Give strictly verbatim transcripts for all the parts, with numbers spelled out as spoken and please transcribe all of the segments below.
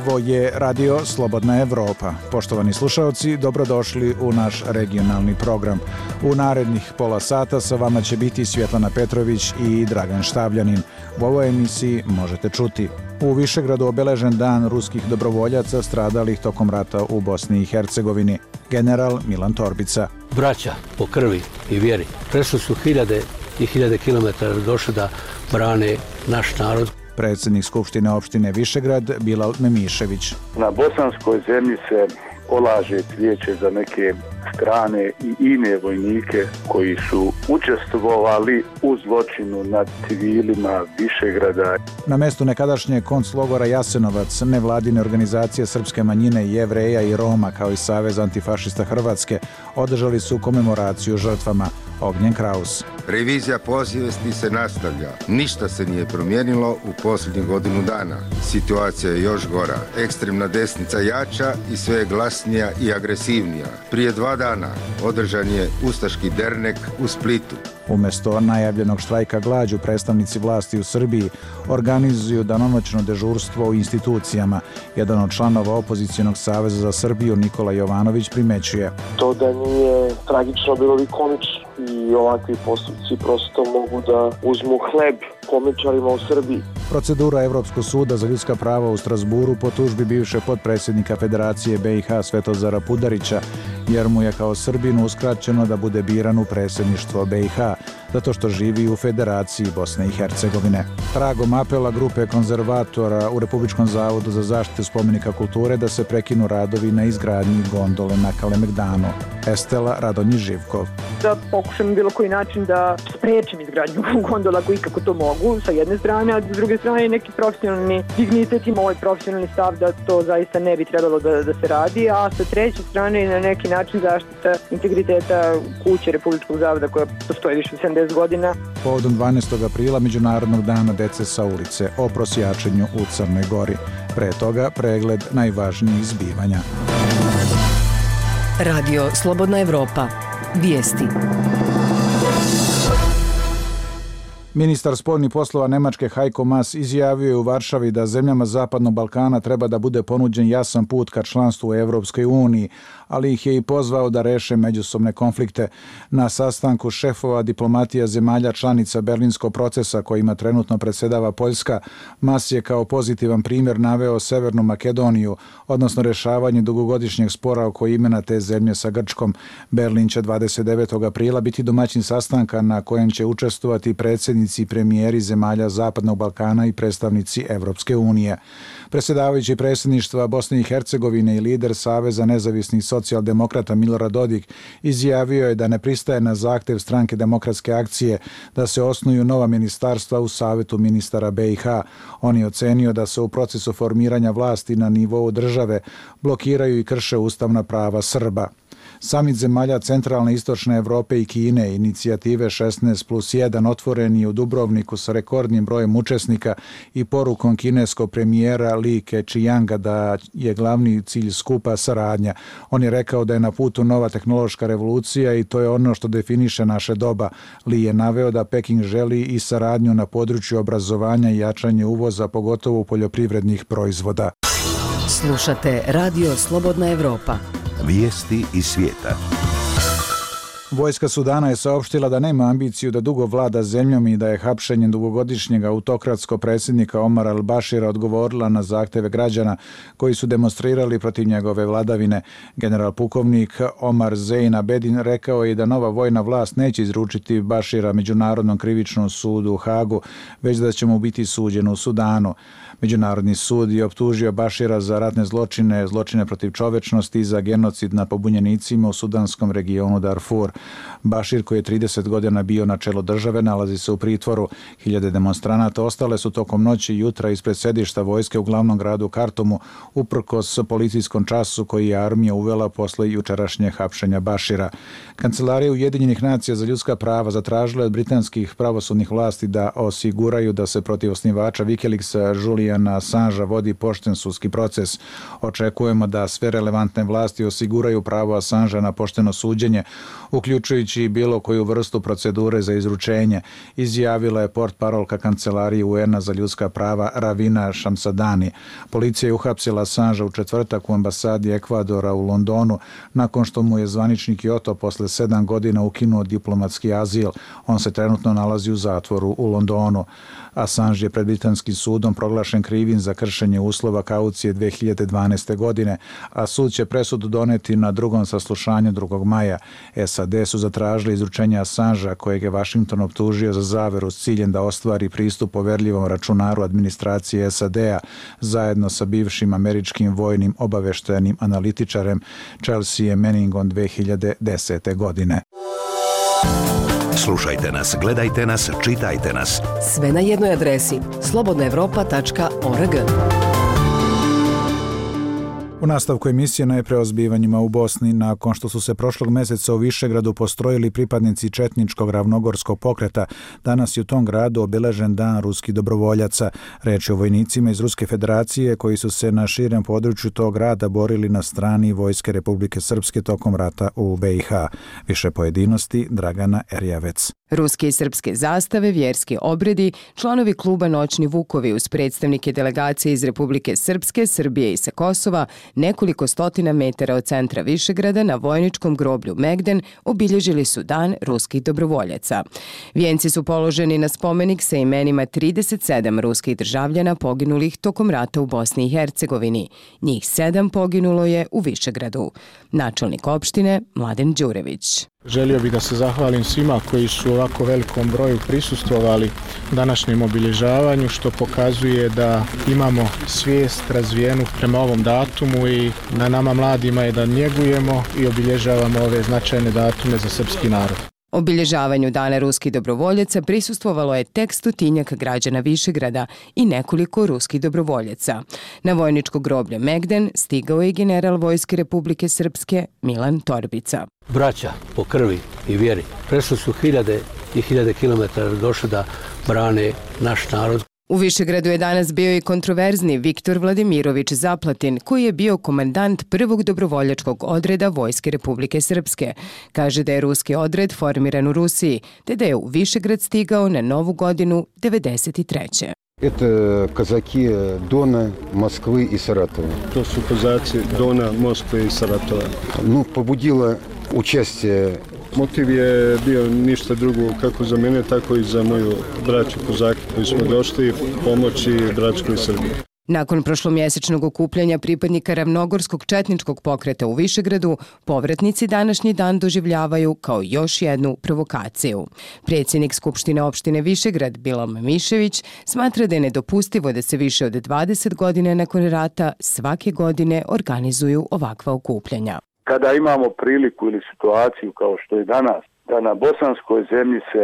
Ovo je Radio Slobodna Evropa. Poštovani slušaoci, dobrodošli u naš regionalni program. U narednih pola sata sa vama će biti Svjetlana Petrović i Dragan Štavljanin. U ovoj emisiji možete čuti: u Višegradu obeležen dan ruskih dobrovoljaca stradalih tokom rata u Bosni i Hercegovini. General Milan Torbica. Braća po krvi i vjeri. Prešli su hiljade i hiljade kilometara došli da brane naš narod. Predsjednik Skupštine opštine Višegrad Bilal Memišević. Na bosanskoj zemlji se polaže cvijeće za neke strane i ine vojnike koji su učestvovali u zločinu nad civilima Višegrada. Na mjestu nekadašnje konclogora Jasenovac nevladine organizacije srpske manjine, Jevreja i Roma kao i Savez antifašista Hrvatske održali su komemoraciju žrtvama. Ognjen Kraus. Revizija posvijesti se nastavlja. Ništa se nije promijenilo u posljednjih godinu dana. Situacija je još gora. Ekstremna desnica jača i sve je glasnija i agresivnija. Prije dva dana održan je ustaški dernek u Splitu. Umjesto najavljenog štrajka glađu, predstavnici vlasti u Srbiji organizuju danonoćno dežurstvo u institucijama. Jedan od članova opozicionog saveza za Srbiju, Nikola Jovanović, primećuje: to da nije tragično, bilo bi komično i ovakvi postupci prosto mogu da uzmu hleb komičarima u Srbiji. Procedura Evropskog suda za ljudska prava u Strasburu po tužbi bivše potpredsjednika Federacije B i H Svetozara Pudarića, jer mu je kao Srbinu uskraćeno da bude biran u predsjedništvo B i H, zato što živi u Federaciji Bosne i Hercegovine. Tragom apela grupe konzervatora u Republičkom zavodu za zaštitu spomenika kulture da se prekinu radovi na izgradnji gondole na Kalemegdanu. Estela Radonji Živkov. Da pokušam bilo koji način da sprečim izgradnju gondola koji kako to mogu, sa jedne strane, a s druge strane neki profesionalni dignitet ima ovaj profesionalni stav da to zaista ne bi trebalo da, da se radi, a sa treće strane na neki način zaštita integriteta kuće Republičkog zavoda koja postoji više od sedamdeset godina. Povodom dvanaestog aprila Međunarodnog dana dece sa ulice o prosjačenju u Crnoj Gori. Pre toga pregled najvažnijih zbivanja. Radio Slobodna Evropa. Vijesti. Ministar spoljnih poslova Nemačke Heiko Maas izjavio je u Varšavi da zemljama Zapadnog Balkana treba da bude ponuđen jasan put ka članstvu u Evropskoj uniji, ali ih je i pozvao da reše međusobne konflikte. Na sastanku šefova diplomatija zemalja članica Berlinskog procesa kojima trenutno predsjedava Poljska, Maas je kao pozitivan primjer naveo Severnu Makedoniju, odnosno rješavanje dugogodišnjeg spora oko imena te zemlje sa Grčkom. Berlin će dvadeset devetog aprila biti domaćin sastanka na kojem će učestvovati predsjednici i premijeri zemalja Zapadnog Balkana i predstavnici Evropske unije. Predsjedavajući predsjedništva Bosne i Hercegovine i lider Saveza nezavisnih socijaldemokrata Milorad Dodik izjavio je da ne pristaje na zahtjev stranke Demokratske akcije da se osnuju nova ministarstva u Savetu ministara B i H. On je ocenio da se u procesu formiranja vlasti na nivou države blokiraju i krše ustavna prava Srba. Samit zemalja centralne i istočne Evrope i Kine, inicijative šesnaest plus jedan, otvoren je u Dubrovniku sa rekordnim brojem učesnika i porukom kineskog premijera Li Keqianga da je glavni cilj skupa saradnja. On je rekao da je na putu nova tehnološka revolucija i to je ono što definiše naše doba. Li je naveo da Peking želi i saradnju na području obrazovanja i jačanje uvoza, pogotovo poljoprivrednih proizvoda. Slušate Radio Slobodna Evropa. Vijesti iz svijeta. Vojska Sudana je saopštila da nema ambiciju da dugo vlada zemljom i da je hapšenjem dugogodišnjeg autokratskog predsjednika Omara al-Bashira odgovorila na zahtjeve građana koji su demonstrirali protiv njegove vladavine. General pukovnik Omar Zein Abedin rekao je da nova vojna vlast neće izručiti Bashira Međunarodnom krivičnom sudu u Hagu, već da će mu biti suđeno u Sudanu. Međunarodni sud je optužio Bashira za ratne zločine, zločine protiv čovečnosti i za genocid nad pobunjenicima u sudanskom regionu Darfur. Bashir, koji je trideset godina bio na čelu države, nalazi se u pritvoru. Hiljade demonstranata ostale su tokom noći i jutra ispred sedišta vojske u glavnom gradu Kartumu, uprkos policijskom času koji je armija uvela posle jučerašnje hapšenja Bashira. Kancelarija Ujedinjenih nacija za ljudska prava zatražila od britanskih pravosudnih vlasti da osiguraju da se protiv osnivača Wikileaksa Juliana Assangea vodi pošten sudski proces. Očekujemo da sve relevantne vlasti osiguraju pravo Assangea na pošteno suđenje, uključujući uključujući i bilo koju vrstu procedure za izručenje, izjavila je portparolka Kancelarije U N-a za ljudska prava Ravina Šamsadani. Policija je uhapsila Assangea u četvrtak u ambasadi Ekvadora u Londonu nakon što mu je zvaničnik Kyoto posle sedam godina ukinuo diplomatski azil. On se trenutno nalazi u zatvoru u Londonu. Assange je pred britanskim sudom proglašen krivim za kršenje uslova kaucije dve hiljade dvanaeste. godine, a sud će presudu doneti na drugom saslušanju drugog maja. S A D su zatražili izručenje Assangea, kojeg je Washington optužio za zaveru s ciljem da ostvari pristup poverljivom računaru administracije S A D-a zajedno sa bivšim američkim vojnim obaveštajnim analitičarem Chelsea Manningom dve hiljade desete. godine. Slušajte nas, gledajte nas, čitajte nas. Sve na jednoj adresi slobodna evropa tačka org. U nastavku emisije najpre o zbivanjima u Bosni. Nakon što su se prošlog meseca u Višegradu postrojili pripadnici četničkog ravnogorskog pokreta, danas je u tom gradu obeležen dan ruskih dobrovoljaca. Reč je o vojnicima iz Ruske federacije koji su se na širem području tog grada borili na strani Vojske Republike Srpske tokom rata u B i H. Više pojedinosti Dragana Erjavec. Ruske i srpske zastave, vjerski obredi, članovi kluba Noćni vukovi uz predstavnike delegacije iz Republike Srpske, Srbije i sa Kosova, nekoliko stotina metara od centra Višegrada na vojničkom groblju Megden obilježili su dan ruskih dobrovoljaca. Vijenci su položeni na spomenik sa imenima trideset sedam ruskih državljana poginulih tokom rata u Bosni i Hercegovini. Njih sedam poginulo je u Višegradu. Načelnik opštine Mladen Đurević. Želio bih da se zahvalim svima koji su u ovako velikom broju prisustvovali današnjem obilježavanju, što pokazuje da imamo svijest razvijenu prema ovom datumu i na nama mladima je da njegujemo i obilježavamo ove značajne datume za srpski narod. Obilježavanju Dana ruskih dobrovoljaca prisustvovalo je tek stotinjak građana Višegrada i nekoliko ruskih dobrovoljaca. Na vojničko groblje Megden stigao je general Vojske Republike Srpske Milan Torbica. Braća po krvi i vjeri prešli su hiljade i hiljade kilometara došli da brane naš narod. U Višegradu je danas bio i kontroverzni Viktor Vladimirović Zaplatin, koji je bio komandant prvog dobrovoljačkog odreda Vojske Republike Srpske. Kaže da je ruski odred formiran u Rusiji, te da je u Višegrad stigao na Novu godinu devedeset treće. Это казаки Дона, Москвы и Саратова. To su kozaci Dona, Moskve i Saratova. Ну, побудило участие. Motiv je bio ništa drugo kako za mene, tako i za moju braću kozake koji smo došli pomoći bračkoj Srbiji. Nakon prošlomjesečnog okupljanja pripadnika ravnogorskog četničkog pokreta u Višegradu, povratnici današnji dan doživljavaju kao još jednu provokaciju. Predsjednik Skupštine opštine Višegrad, Bilom Mišević, smatra da je nedopustivo da se više od dvadeset godina nakon rata svake godine organizuju ovakva okupljanja. Kada imamo priliku ili situaciju kao što je danas, da na bosanskoj zemlji se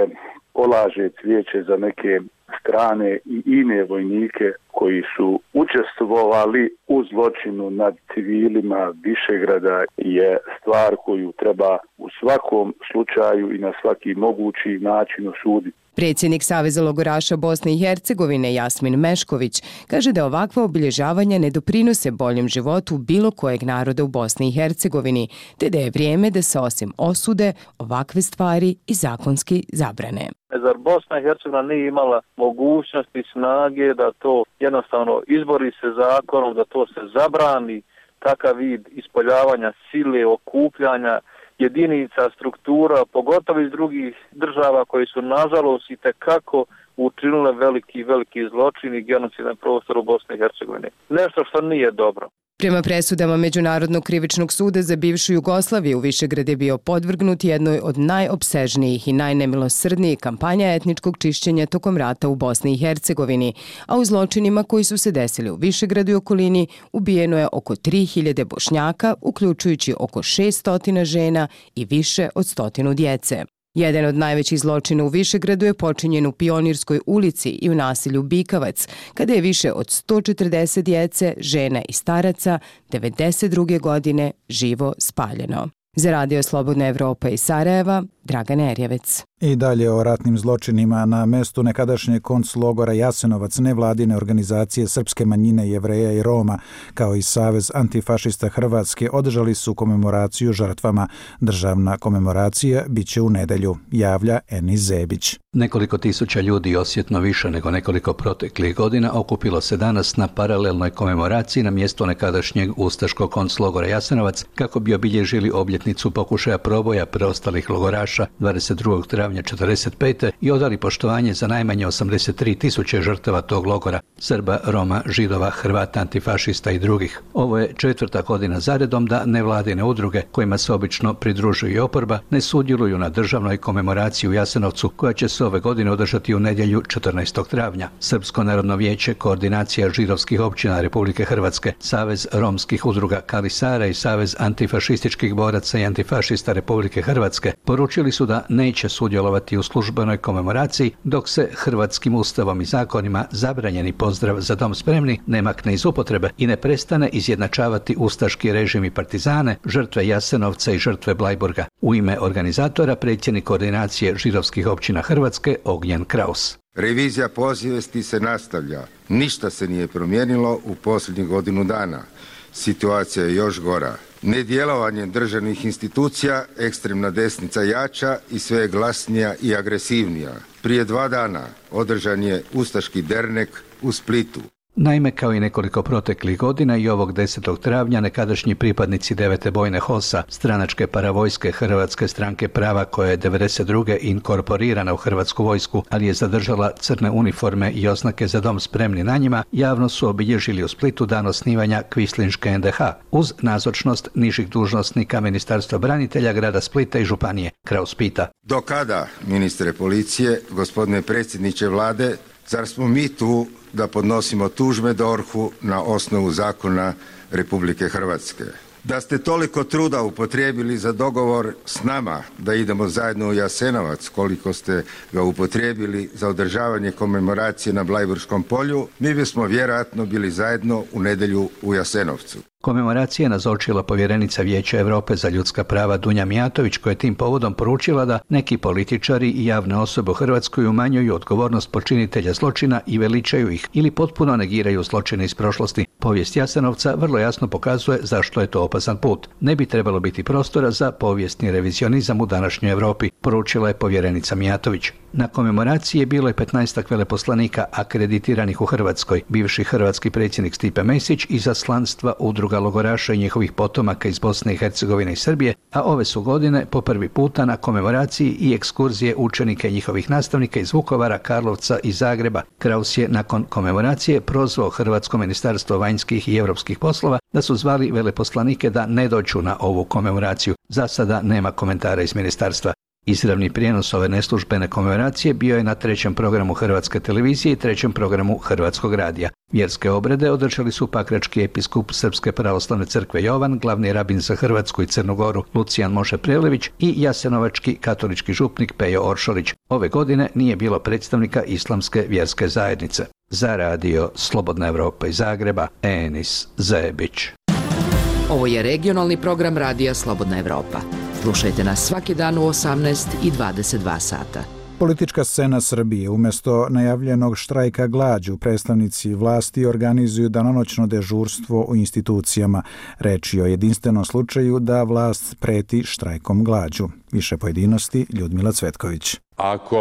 polaže cvijeće za neke strane i ine vojnike koji su učestvovali u zločinu nad civilima Višegrada, je stvar koju treba u svakom slučaju i na svaki mogući način osuditi. Predsjednik Saveza logoraša Bosne i Hercegovine Jasmin Mešković kaže da ovakva obilježavanja ne doprinose boljem životu bilo kojeg naroda u Bosni i Hercegovini, te da je vrijeme da se osim osude ovakve stvari i zakonski zabrane. Zar Bosna i Hercegovina nije imala mogućnosti, snage da to jednostavno izbori se zakonom, da to se zabrani, takav vid ispoljavanja sile, okupljanja jedinica, struktura, pogotovo iz drugih država koji su nažalost i tekako učinile veliki, veliki zločin i genocid na prostoru Bosne i Hercegovine. Nešto što nije dobro. Prema presudama Međunarodnog krivičnog suda za bivšu Jugoslaviju, Višegrad je bio podvrgnut jednoj od najopsežnijih i najnemilosrdnijih kampanja etničkog čišćenja tokom rata u Bosni i Hercegovini, a u zločinima koji su se desili u Višegradu i okolini ubijeno je oko tri hiljade Bošnjaka, uključujući oko šessto žena i više od stotinu djece. Jedan od najvećih zločina u Višegradu je počinjen u Pionirskoj ulici i u naselju Bikavac, kada je više od sto četrdeset djece, žena i staraca devedeset druge godine živo spaljeno. Za Radio Slobodna Evropa iz Sarajeva, Dragana Erjevec. I dalje o ratnim zločinima. Na mestu nekadašnjeg konclogora Jasenovac nevladine organizacije srpske manjine, Jevreja i Roma, kao i Savez antifašista Hrvatske, održali su komemoraciju žrtvama. Državna komemoracija biće u nedelju, javlja Enis Zebić. Nekoliko tisuća ljudi, osjetno više nego nekoliko proteklih godina, okupilo se danas na paralelnoj komemoraciji na mjestu nekadašnjeg ustaškog konclogora Jasenovac kako bi obilježili obljetnicu pokušaja proboja preostalih logoraša dvadeset drugog travnja četrdeset pete i odali poštovanje za najmanje osamdeset tri tisuće žrtava tog logora, Srba, Roma, Židova, Hrvata, antifašista i drugih. Ovo je četvrta godina zaredom da nevladine udruge, kojima se obično pridružuje i oporba, ne sudjeluju na državnoj komemoraciji u Jasenovcu, koja će se ove godine održati u nedjelju četrnaestog travnja. Srpsko narodno vijeće, Koordinacija židovskih općina Republike Hrvatske, Savez romskih udruga Kali Sara i Savez antifašističkih boraca i antifašista Republike Hrvatske poručili su da neće sudjelovati u službenoj komemoraciji dok se hrvatskim ustavom i zakonima zabranjeni pozdrav Za dom spremni ne makne iz upotrebe i ne prestane izjednačavati ustaški režim i partizane, žrtve Jasenovca i žrtve Blajburga. U ime organizatora predsjednik Koordinacije židovskih općina Hrvatske Ognjen Kraus. Revizija pozivesti se nastavlja. Ništa se nije promijenilo u posljednjih godinu dana. Situacija je još gora. Nedjelovanjem državnih institucija ekstremna desnica jača i sve je glasnija i agresivnija. Prije dva dana održan je ustaški dernek u Splitu. Naime, kao i nekoliko proteklih godina i ovog desetog travnja nekadašnji pripadnici devete bojne HOS-a, stranačke paravojske Hrvatske stranke prava koja je devedeset druge inkorporirana u Hrvatsku vojsku, ali je zadržala crne uniforme i oznake Za dom spremni na njima, javno su obilježili u Splitu dan osnivanja Kvislinške en de ha uz nazočnost nižih dužnosnika Ministarstva branitelja grada Splita i županije. Kraus pita. Do kada, ministre policije, gospodine predsjedniče vlade, zar smo mi tu da podnosimo tužbe D O R H-u na osnovu zakona Republike Hrvatske? Da ste toliko truda upotrijebili za dogovor s nama da idemo zajedno u Jasenovac, koliko ste ga upotrijebili za održavanje komemoracije na Blajburškom polju, mi bismo vjerojatno bili zajedno u nedjelju u Jasenovcu. Komemoracija je nazočila povjerenica Vijeća Europe za ljudska prava Dunja Mijatović, koja je tim povodom poručila da neki političari i javne osobe u Hrvatskoj umanjuju odgovornost počinitelja zločina i veličaju ih ili potpuno negiraju zločine iz prošlosti. Povijest Jasenovca vrlo jasno pokazuje zašto je to opasan put. Ne bi trebalo biti prostora za povijesni revizionizam u današnjoj Europi, poručila je povjerenica Mijatović. Na komemoraciji je bilo je petnaestak veleposlanika akreditiranih u Hrvatskoj, bivši hrvatski predsjednik Stipe Mesić, izaslanstva udruga logoraša i njihovih potomaka iz Bosne i Hercegovine i Srbije, a ove su godine po prvi puta na komemoraciji i ekskurzije učenika i njihovih nastavnika iz Vukovara, Karlovca i Zagreba. Kraus je nakon komemoracije prozvao Hrvatsko ministarstvo vanjskih i europskih poslova da su zvali veleposlanike da ne dođu na ovu komemoraciju. Za sada nema komentara iz ministarstva. Izravni prijenos ove neslužbene komemoracije bio je na trećem programu Hrvatske televizije i trećem programu Hrvatskog radija. Vjerske obrede održali su pakrački episkup Srpske pravoslavne crkve Jovan, glavni rabin za Hrvatsku i Crnu Goru Lucijan Moše Prelević i jasenovački katolički župnik Pejo Oršolić. Ove godine nije bilo predstavnika islamske vjerske zajednice. Za radio Slobodna Evropa iz Zagreba, Enis Zebić. Ovo je regionalni program radija Slobodna Evropa. Slušajte nas svaki dan u osamnaest i dvadeset dva sata. Politička scena Srbije. Umjesto najavljenog štrajka glađu, predstavnici vlasti organizuju danonoćno dežurstvo u institucijama. Reč je o jedinstvenom slučaju da vlast preti štrajkom glađu. Više pojedinosti, Ljudmila Cvetković. Ako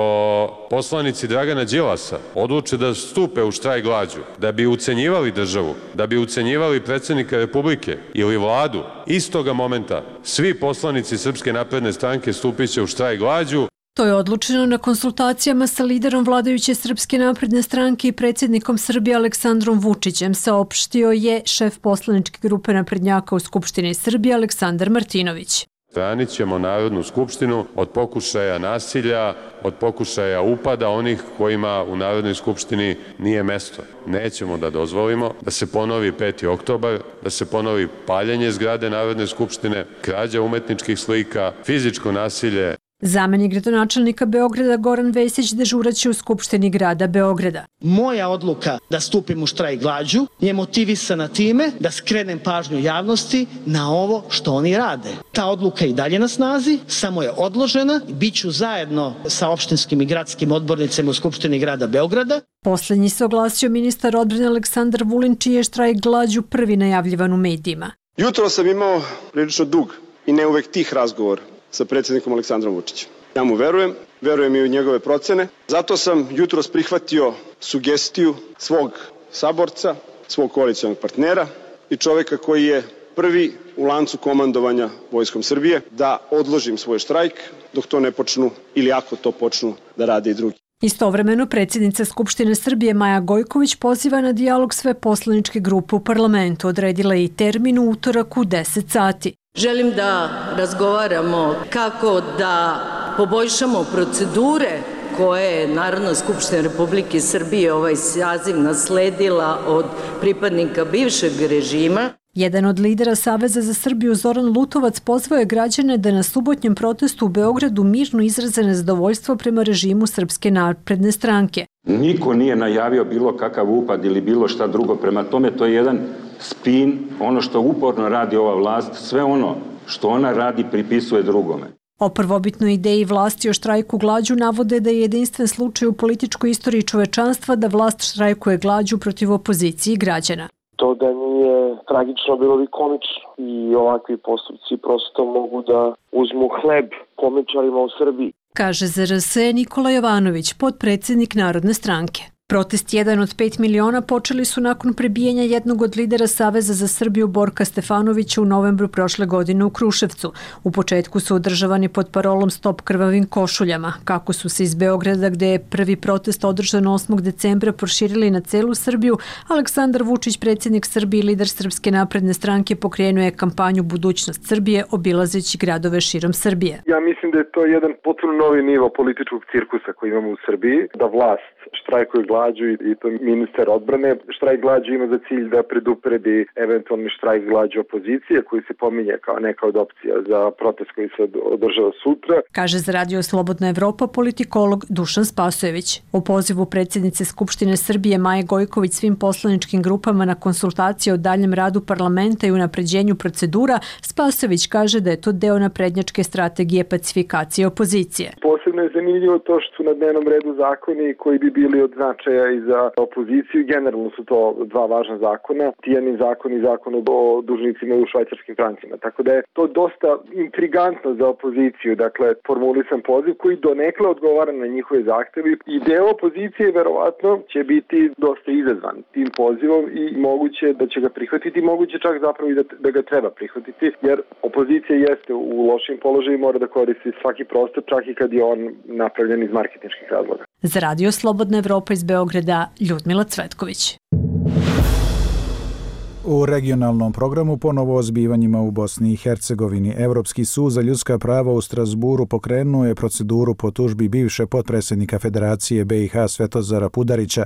poslanici Dragana Đilasa odluče da stupe u štrajk glađu, da bi ucenjivali državu, da bi ucenjivali predsjednika Republike ili vladu, istoga momenta svi poslanici Srpske napredne stranke stupit će u štrajk glađu. To je odlučeno na konsultacijama sa liderom vladajuće Srpske napredne stranke i predsjednikom Srbije Aleksandrom Vučićem, saopštio je šef poslaničke grupe naprednjaka u Skupštini Srbije Aleksandar Martinović. Branit ćemo Narodnu skupštinu od pokušaja nasilja, od pokušaja upada onih kojima u Narodnoj skupštini nije mesto. Nećemo da dozvolimo da se ponovi peti oktobar, da se ponovi paljenje zgrade Narodne skupštine, krađa umetničkih slika, fizičko nasilje. Zamenik gradonačelnika Beograda Goran Vesić dežuraće u Skupštini grada Beograda. Moja odluka da stupim u štrajk glađu je motivisana time da skrenem pažnju javnosti na ovo što oni rade. Ta odluka je i dalje na snazi, samo je odložena i bit ću zajedno sa opštinskim i gradskim odbornicima u Skupštini grada Beograda. Poslednji se oglasio ministar odbrane Aleksandar Vulin, čiji je štrajk glađu prvi najavljivan u medijima. Jutro sam imao prilično dug i ne uvek tih razgovor sa predsjednikom Aleksandrom Vučićem. Ja mu verujem, verujem i u njegove procene. Zato sam jutros prihvatio sugestiju svog saborca, svog koalicionog partnera i čoveka koji je prvi u lancu komandovanja Vojskom Srbije da odložim svoj štrajk dok to ne počnu ili ako to počnu da rade i drugi. Istovremeno, predsjednica Skupštine Srbije Maja Gojković poziva na dijalog sve poslaničke grupe u parlamentu. Odredila je i termin u utorak u deset sati. Želim da razgovaramo kako da poboljšamo procedure koje je Narodna skupština Republike Srbije ovaj saziv nasledila od pripadnika bivšeg režima. Jedan od lidera Saveza za Srbiju, Zoran Lutovac, pozvao je građane da na subotnjem protestu u Beogradu mirno izraze nezadovoljstvo prema režimu Srpske napredne stranke. Niko nije najavio bilo kakav upad ili bilo šta drugo, prema tome to je jedan spin, ono što uporno radi ova vlast, sve ono što ona radi pripisuje drugome. O prvobitnoj ideji vlasti o štrajku glađu navode da je jedinstven slučaj u političkoj istoriji čovečanstva da vlast štrajkuje glađu protiv opozicije i građana. To da nije tragično, bilo bi komično i ovakvi postupci prosto mogu da uzmu hleb komičarima u Srbiji. Kaže Z R S Nikola Jovanović, potpredsjednik Narodne stranke. Protest jedan od pet miliona počeli su nakon prebijanja jednog od lidera Saveza za Srbiju Borka Stefanovića u novembru prošle godine u Kruševcu. U početku su održavani pod parolom Stop krvavim košuljama. Kako su se iz Beograda, gde je prvi protest održan osmog decembra, proširili na celu Srbiju, Aleksandar Vučić, predsjednik Srbije i lider Srpske napredne stranke, pokrenuo je kampanju Budućnost Srbije, obilazeći gradove širom Srbije. Ja mislim da je to jedan potpuno novi nivo političkog cirkusa koji imamo u Srbiji, da vlast štrajkuje glađu i to ministar odbrane. Štrajk glađu ima za cilj da predupredi eventualni štrajk glađu opozicije koji se pominje kao neka od opcija za protest koji se održava sutra. Kaže za Radio Slobodna Evropa politikolog Dušan Spasojević. U pozivu predsjednice Skupštine Srbije Maje Gojković svim poslaničkim grupama na konsultacije o daljem radu parlamenta i unapređenju procedura, Spasojević kaže da je to deo naprednjačke strategije pacifikacije opozicije. Posebno je zanimljivo to što su na dnevnom redu zakoni koji bi bili od značaja i za opoziciju. Generalno su to dva važna zakona, Tijani zakon i zakon o dužnicima u švajcarskim francima. Tako da je to dosta intrigantno za opoziciju. Dakle, formulisan poziv koji donekle odgovara na njihove zahteve i deo opozicije verovatno će biti dosta izazvan tim pozivom i moguće da će ga prihvatiti, moguće čak zapravo i da, da ga treba prihvatiti, jer opozicija jeste u lošim položaju i mora da koristi svaki prostor, čak i kad je on napravljen iz marketinških razloga. Za Radio Slobodna Evropa iz Beograda, Ljudmila Cvetković. U regionalnom programu ponovo o zbivanjima u Bosni i Hercegovini. Evropski sud za ljudska prava u Strasburu pokrenuo je proceduru po tužbi bivše potpredsjednika Federacije B i H Svetozara Pudarića,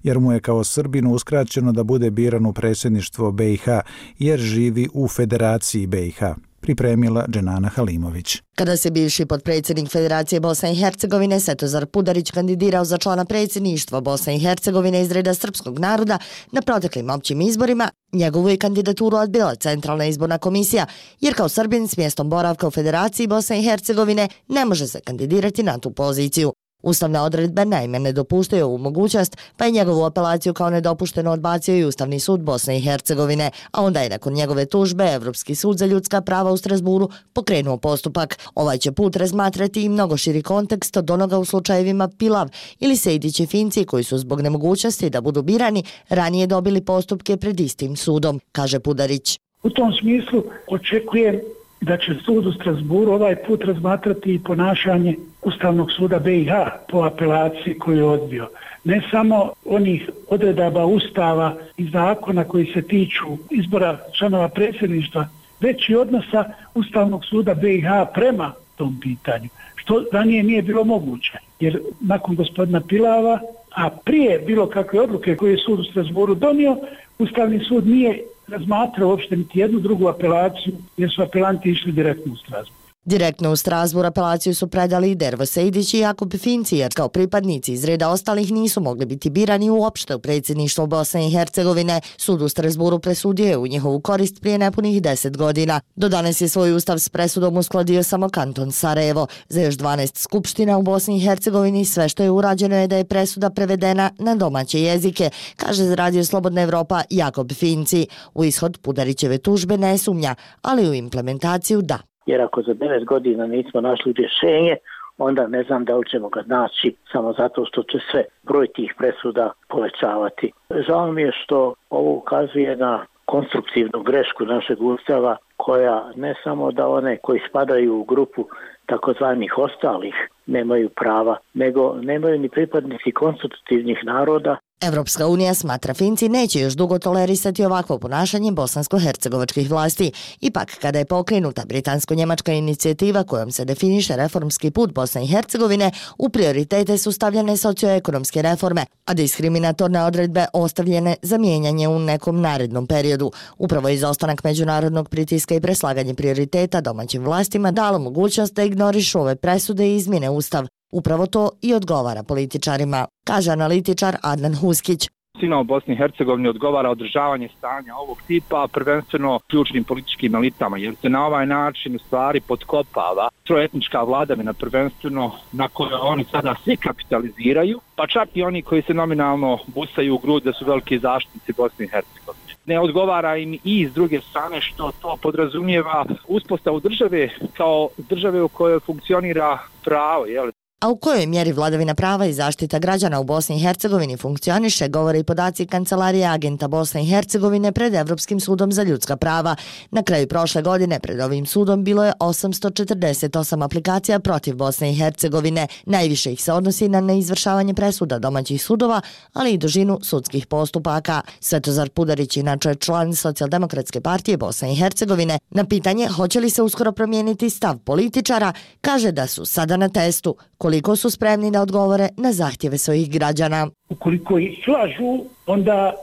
jer mu je kao Srbinu uskraćeno da bude biran u predsjedništvo B i H, jer živi u Federaciji B i H. Pripremila Dženana Halimović. Kada se bivši potpredsjednik Federacije Bosne i Hercegovine Svetozar Pudarić kandidirao za člana predsjedništva Bosne i Hercegovine iz reda srpskog naroda na proteklim općim izborima, njegovu je kandidaturu odbila Centralna izborna komisija, jer kao Srbin s mjestom boravka u Federaciji Bosne i Hercegovine ne može se kandidirati na tu poziciju. Ustavne odredbe naime ne dopuštaju ovu mogućnost, pa je njegovu apelaciju kao nedopušteno odbacio i Ustavni sud Bosne i Hercegovine, a onda je nakon njegove tužbe Evropski sud za ljudska prava u Strasburu pokrenuo postupak. Ovaj će put razmatrati i mnogo širi kontekst od onoga u slučajevima Pilav ili Sejdić i Finci koji su zbog nemogućnosti da budu birani ranije dobili postupke pred istim sudom, kaže Pudarić. U tom smislu očekujem da će sud u Strasburu ovaj put razmatrati i ponašanje Ustavnog suda B i H po apelaciji koju je odbio. Ne samo onih odredaba Ustava i zakona koji se tiču izbora članova predsjedništva, već i odnosa Ustavnog suda B i H prema tom pitanju, što ranije nije bilo moguće. Jer nakon gospodina Pilava, a prije bilo kakve odluke koje je sud u Strasburu donio, Ustavni sud nije razmatrao uopšte niti jednu drugu apelaciju, jer su apelanti išli direktno u Strasburu. Direktno u Strasbur apelaciju su predali Dervo Sejdić i Jakub Finci, jer kao pripadnici iz reda ostalih nisu mogli biti birani uopšte u predsjedništvo Bosne i Hercegovine. Sud u Strasburu presudio je u njihovu korist prije nepunih deset godina. Do danas je svoj ustav s presudom uskladio samo kanton Sarajevo. Za još dvanaest skupština u Bosni i Hercegovini sve što je urađeno je da je presuda prevedena na domaće jezike, kaže za Radio Slobodna Evropa Jakub Finci. U ishod Pudarićeve tužbe ne sumnja, ali u implementaciju da. Jer ako za devet godina nismo našli rješenje, onda ne znam da li ćemo ga naći samo zato što će se broj tih presuda povećavati. Žao mi je što ovo ukazuje na konstruktivnu grešku našeg ustava, koja ne samo da one koji spadaju u grupu takozvanih ostalih nemaju prava, nego nemaju ni pripadnici konstitutivnih naroda. Evropska unija, smatra Finci, neće još dugo tolerisati ovakvo ponašanje bosansko-hercegovačkih vlasti. Ipak, kada je pokrenuta britansko-njemačka inicijativa kojom se definiše reformski put Bosne i Hercegovine, u prioritete su stavljene socioekonomske reforme, a diskriminatorne odredbe ostavljene za mijenjanje u nekom narednom periodu. Upravo izostanak međunarodnog pritiska i preslaganje prioriteta domaćim vlastima dalo mogućnost da ignorišu ove presude i izmjene ustav. Upravo to i odgovara političarima, kaže analitičar Adnan Huskić. Svima u Bosni i Hercegovini odgovara održavanje stanja ovog tipa, prvenstveno ključnim političkim elitama, jer se na ovaj način u stvari potkopava trojetnička vladavina, prvenstveno na kojoj oni sada svi kapitaliziraju, pa čak i oni koji se nominalno busaju u grud da su veliki zaštitnici Bosne i Hercegovine. Ne odgovara im i s druge strane što to podrazumijeva uspostavu države kao države u kojoj funkcionira pravo, jel? A u kojoj mjeri vladavina prava i zaštita građana u Bosni i Hercegovini funkcioniše, govore i podaci Kancelarije agenta Bosne i Hercegovine pred Evropskim sudom za ljudska prava. Na kraju prošle godine pred ovim sudom bilo je osamsto četrdeset osam aplikacija protiv Bosne i Hercegovine. Najviše ih se odnosi na neizvršavanje presuda domaćih sudova, ali i dužinu sudskih postupaka. Svetozar Pudarić, inače član Socijaldemokratske partije Bosne i Hercegovine, na pitanje hoće li se uskoro promijeniti stav političara, kaže da su sada na testu koliko su spremni da odgovore na zahtjeve svojih građana. Ukoliko ih lažu, onda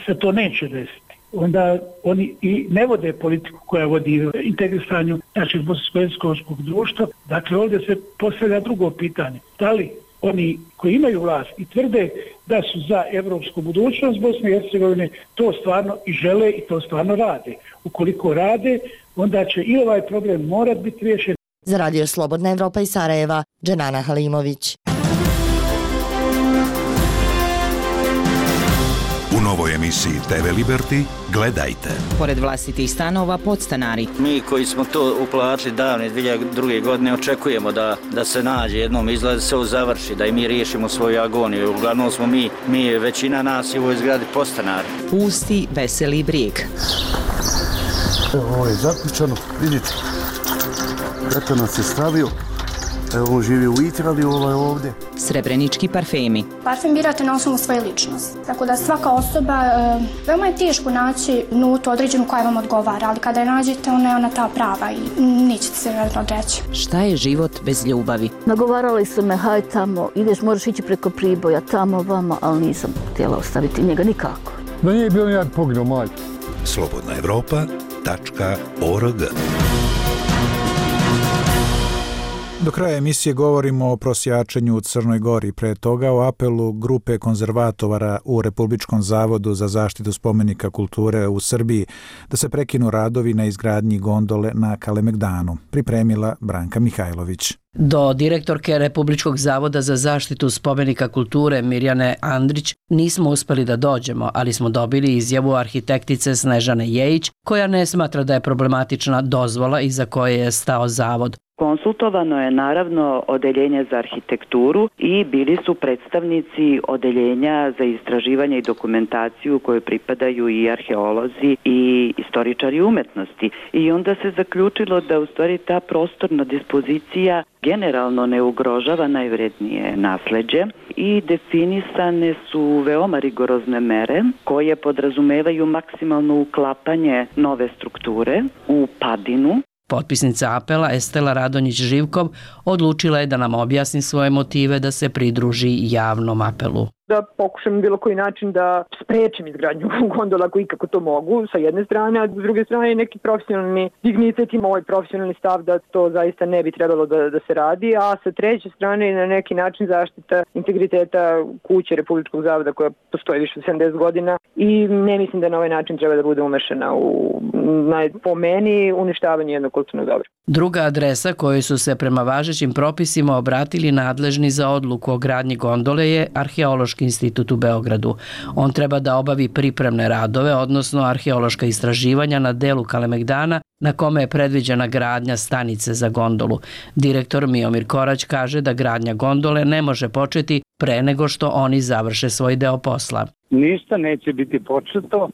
se to neće desiti. Onda oni i ne vode politiku koja vodi integrisanju našeg bosansko-hercegovačkog društva. Dakle, ovdje se postavlja drugo pitanje. Da li oni koji imaju vlast i tvrde da su za evropsku budućnost Bosne i Hercegovine, to stvarno i žele i to stvarno rade. Ukoliko rade, onda će i ovaj problem morati biti riješen. Za Radio Slobodna Evropa iz Sarajeva, Dženana Halimović. U novoj emisiji te ve Liberty gledajte. Pored vlastitih stanova, podstanari. Mi koji smo to uplatili davne dvije hiljade druge godine očekujemo da, da se nađe jednom izgled, se ovo završi, da i mi riješimo svoju agoniju. Uglavnom smo mi, mi većina nas je u ovoj zgradi podstanari. Pusti, veseli brijeg. Evo, ovo je zaključano, vidite. Eto nas je stavio, evo on živi u Itrali, ovaj ovdje. Srebrenički parfemi. Parfem birate na osnovu svoje ličnosti, tako da svaka osoba, e, veoma je teško naći nutu određenu koja vam odgovara, ali kada je nađete, ona je ona ta prava i nećete se vjerojatno odreći. Šta je život bez ljubavi? Nagovarali su me, haj tamo, ideš, možeš ići preko Priboja, tamo, vama, ali nisam htjela ostaviti njega nikako. Da nije bio jedan poginuo, majke. slobodna evropa tačka org. Do kraja emisije govorimo o prosjačenju u Crnoj Gori, pre toga o apelu grupe konzervatora u Republičkom zavodu za zaštitu spomenika kulture u Srbiji da se prekinu radovi na izgradnji gondole na Kalemegdanu, pripremila Branka Mihajlović. Do direktorke Republičkog zavoda za zaštitu spomenika kulture Mirjane Andrić nismo uspeli da dođemo, ali smo dobili izjavu arhitektice Snežane Jejić, koja ne smatra da je problematična dozvola iza koje je stao zavod. Konsultovano je naravno odeljenje za arhitekturu i bili su predstavnici odeljenja za istraživanje i dokumentaciju koje pripadaju i arheolozi i istoričari umetnosti. I onda se zaključilo da u stvari ta prostorna dispozicija generalno ne ugrožava najvrednije nasleđe i definisane su veoma rigorozne mere koje podrazumevaju maksimalno uklapanje nove strukture u padinu. Potpisnica apela Estela Radonjić-Živkov odlučila je da nam objasni svoje motive da se pridruži javnom apelu. da pokušam bilo koji način da sprečim izgradnju gondola ako ikako to mogu, sa jedne strane, a s druge strane neki profesionalni dignitet i moj profesionalni stav da to zaista ne bi trebalo da, da se radi, a sa treće strane na neki način zaštita integriteta kuće Republičkog zavoda koja postoji više od sedamdeset godina i ne mislim da na ovaj način treba da bude umešana u, na, po meni, uništavanje jednog kulturnog dobra. Druga adresa kojoj su se prema važećim propisima obratili nadležni za odluku o gradnji gondole je Arheološki institut u Beogradu. On treba da obavi pripremne radove, odnosno arheološka istraživanja na delu Kalemegdana na kome je predviđena gradnja stanice za gondolu. Direktor Miomir Korać kaže da gradnja gondole ne može početi pre nego što oni završe svoj deo posla. Ništa neće biti početo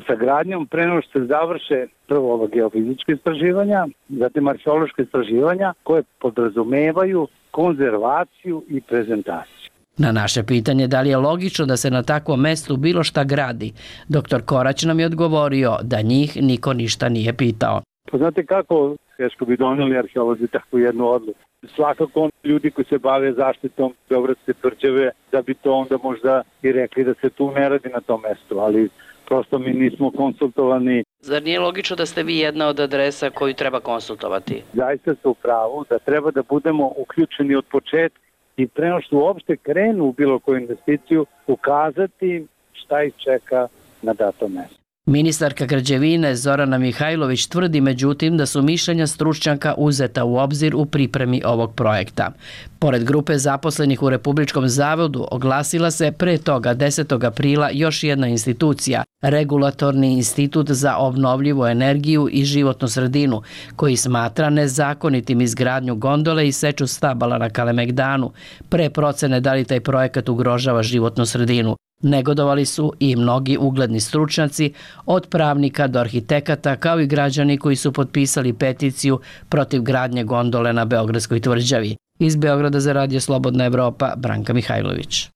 sa gradnjom pre nego što se završe prvo ova geofizička istraživanja, zatim arheološka istraživanja koje podrazumevaju konzervaciju i prezentaciju. Na naše pitanje da li je logično da se na takvom mestu bilo šta gradi, doktor Korać nam je odgovorio da njih niko ništa nije pitao. Pa znate kako teško bi doneli arheolozi takvu jednu odluku. Svakako ljudi koji se bave zaštitom Beogradske tvrđave da bi to onda možda i rekli da se tu ne radi na tom mestu, ali prosto mi nismo konsultovani. Zar nije logično da ste vi jedna od adresa koju treba konsultovati? Zaista ste u pravu da treba da budemo uključeni od početka i pre nego što uopšte krenu u bilo koju investiciju ukazati šta ih čeka na datom mestu. Ministarka građevine Zorana Mihajlović tvrdi međutim da su mišljenja stručnjaka uzeta u obzir u pripremi ovog projekta. Pored grupe zaposlenih u Republičkom zavodu oglasila se pre toga desetog aprila još jedna institucija, Regulatorni institut za obnovljivu energiju i životnu sredinu, koji smatra nezakonitim izgradnju gondole i seču stabala na Kalemegdanu, pre procene da li taj projekat ugrožava životnu sredinu. Negodovali su i mnogi ugledni stručnjaci, od pravnika do arhitekata, kao i građani koji su potpisali peticiju protiv gradnje gondole na Beogradskoj tvrđavi. Iz Beograda za Radio Slobodna Evropa, Branka Mihajlović.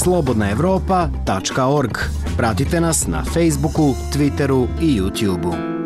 slobodna evropa tačka org. Pratite nas na Facebooku, Twitteru i YouTubeu.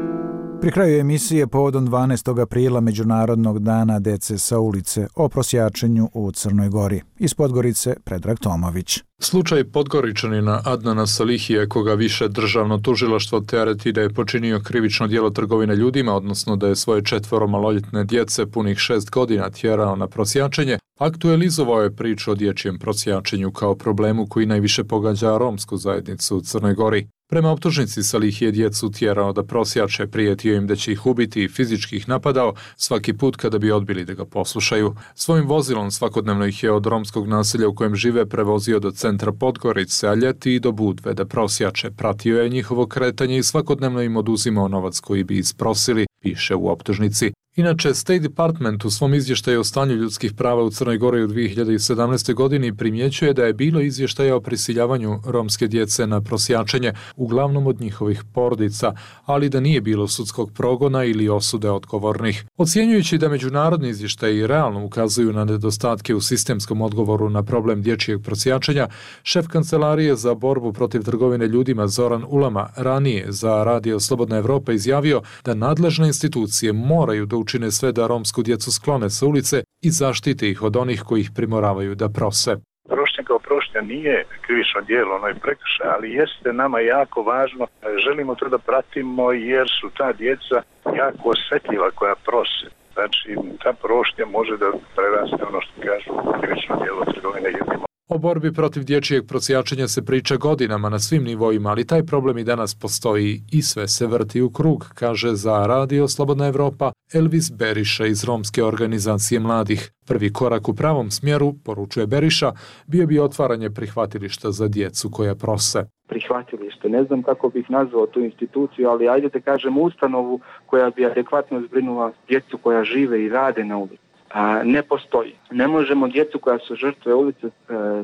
Pri kraju emisije povodom dvanaestog aprila Međunarodnog dana dece sa ulice o prosjačenju u Crnoj Gori. Iz Podgorice Predrag Tomović. Slučaj Podgoričanina Adnana Salihije, koga više državno tužilaštvo tereti da je počinio krivično djelo trgovine ljudima, odnosno da je svoje četvoro maloljetne djece punih šest godina tjerao na prosjačenje, aktualizovao je priču o dječjem prosjačenju kao problemu koji najviše pogađa romsku zajednicu u Crnoj Gori. Prema optužnici Salih je djecu tjerao da prosjače, prijetio im da će ih ubiti i fizički ih napadao svaki put kada bi odbili da ga poslušaju. Svojim vozilom svakodnevno ih je od romskog naselja u kojem žive prevozio do centra Podgorice, a ljeti i do Budve da prosjače. Pratio je njihovo kretanje i svakodnevno im oduzimao novac koji bi isprosili, piše u optužnici. Inače, State Department u svom izvještaju o stanju ljudskih prava u Crnoj Gori u dvije hiljade sedamnaeste. godini primjećuje da je bilo izvještaja o prisiljavanju romske djece na prosjačenje, uglavnom od njihovih porodica, ali da nije bilo sudskog progona ili osude odgovornih. Ocjenjujući da međunarodni izvještaji realno ukazuju na nedostatke u sistemskom odgovoru na problem dječjeg prosjačenja, šef Kancelarije za borbu protiv trgovine ljudima Zoran Ulama ranije za Radio Slobodna Evropa izjavio da nadležne institucije moraju da učine sve da romsku djecu sklone sa ulice i zaštite ih od onih koji ih primoravaju da prose. Prošnja kao prošnja nije krivično djelo, ono je prekršaj, ali jeste nama jako važno. Želimo to da pratimo jer su ta djeca jako osjetljiva koja prose. Znači, ta prošnja može da preraste ono što kažu krivično djelo trgovine ljudima. O borbi protiv dječjeg prosjačenja se priča godinama na svim nivoima, ali taj problem i danas postoji i sve se vrti u krug, kaže za Radio Slobodna Evropa Elvis Beriša iz romske organizacije mladih. Prvi korak u pravom smjeru, poručuje Beriša, bio bi otvaranje prihvatilišta za djecu koja prose. Prihvatilište, ne znam kako bih nazvao tu instituciju, ali ajde da kažem ustanovu koja bi adekvatno zbrinula djecu koja žive i rade na ulici. A, ne postoji. Ne možemo djecu koja su žrtve ulice e,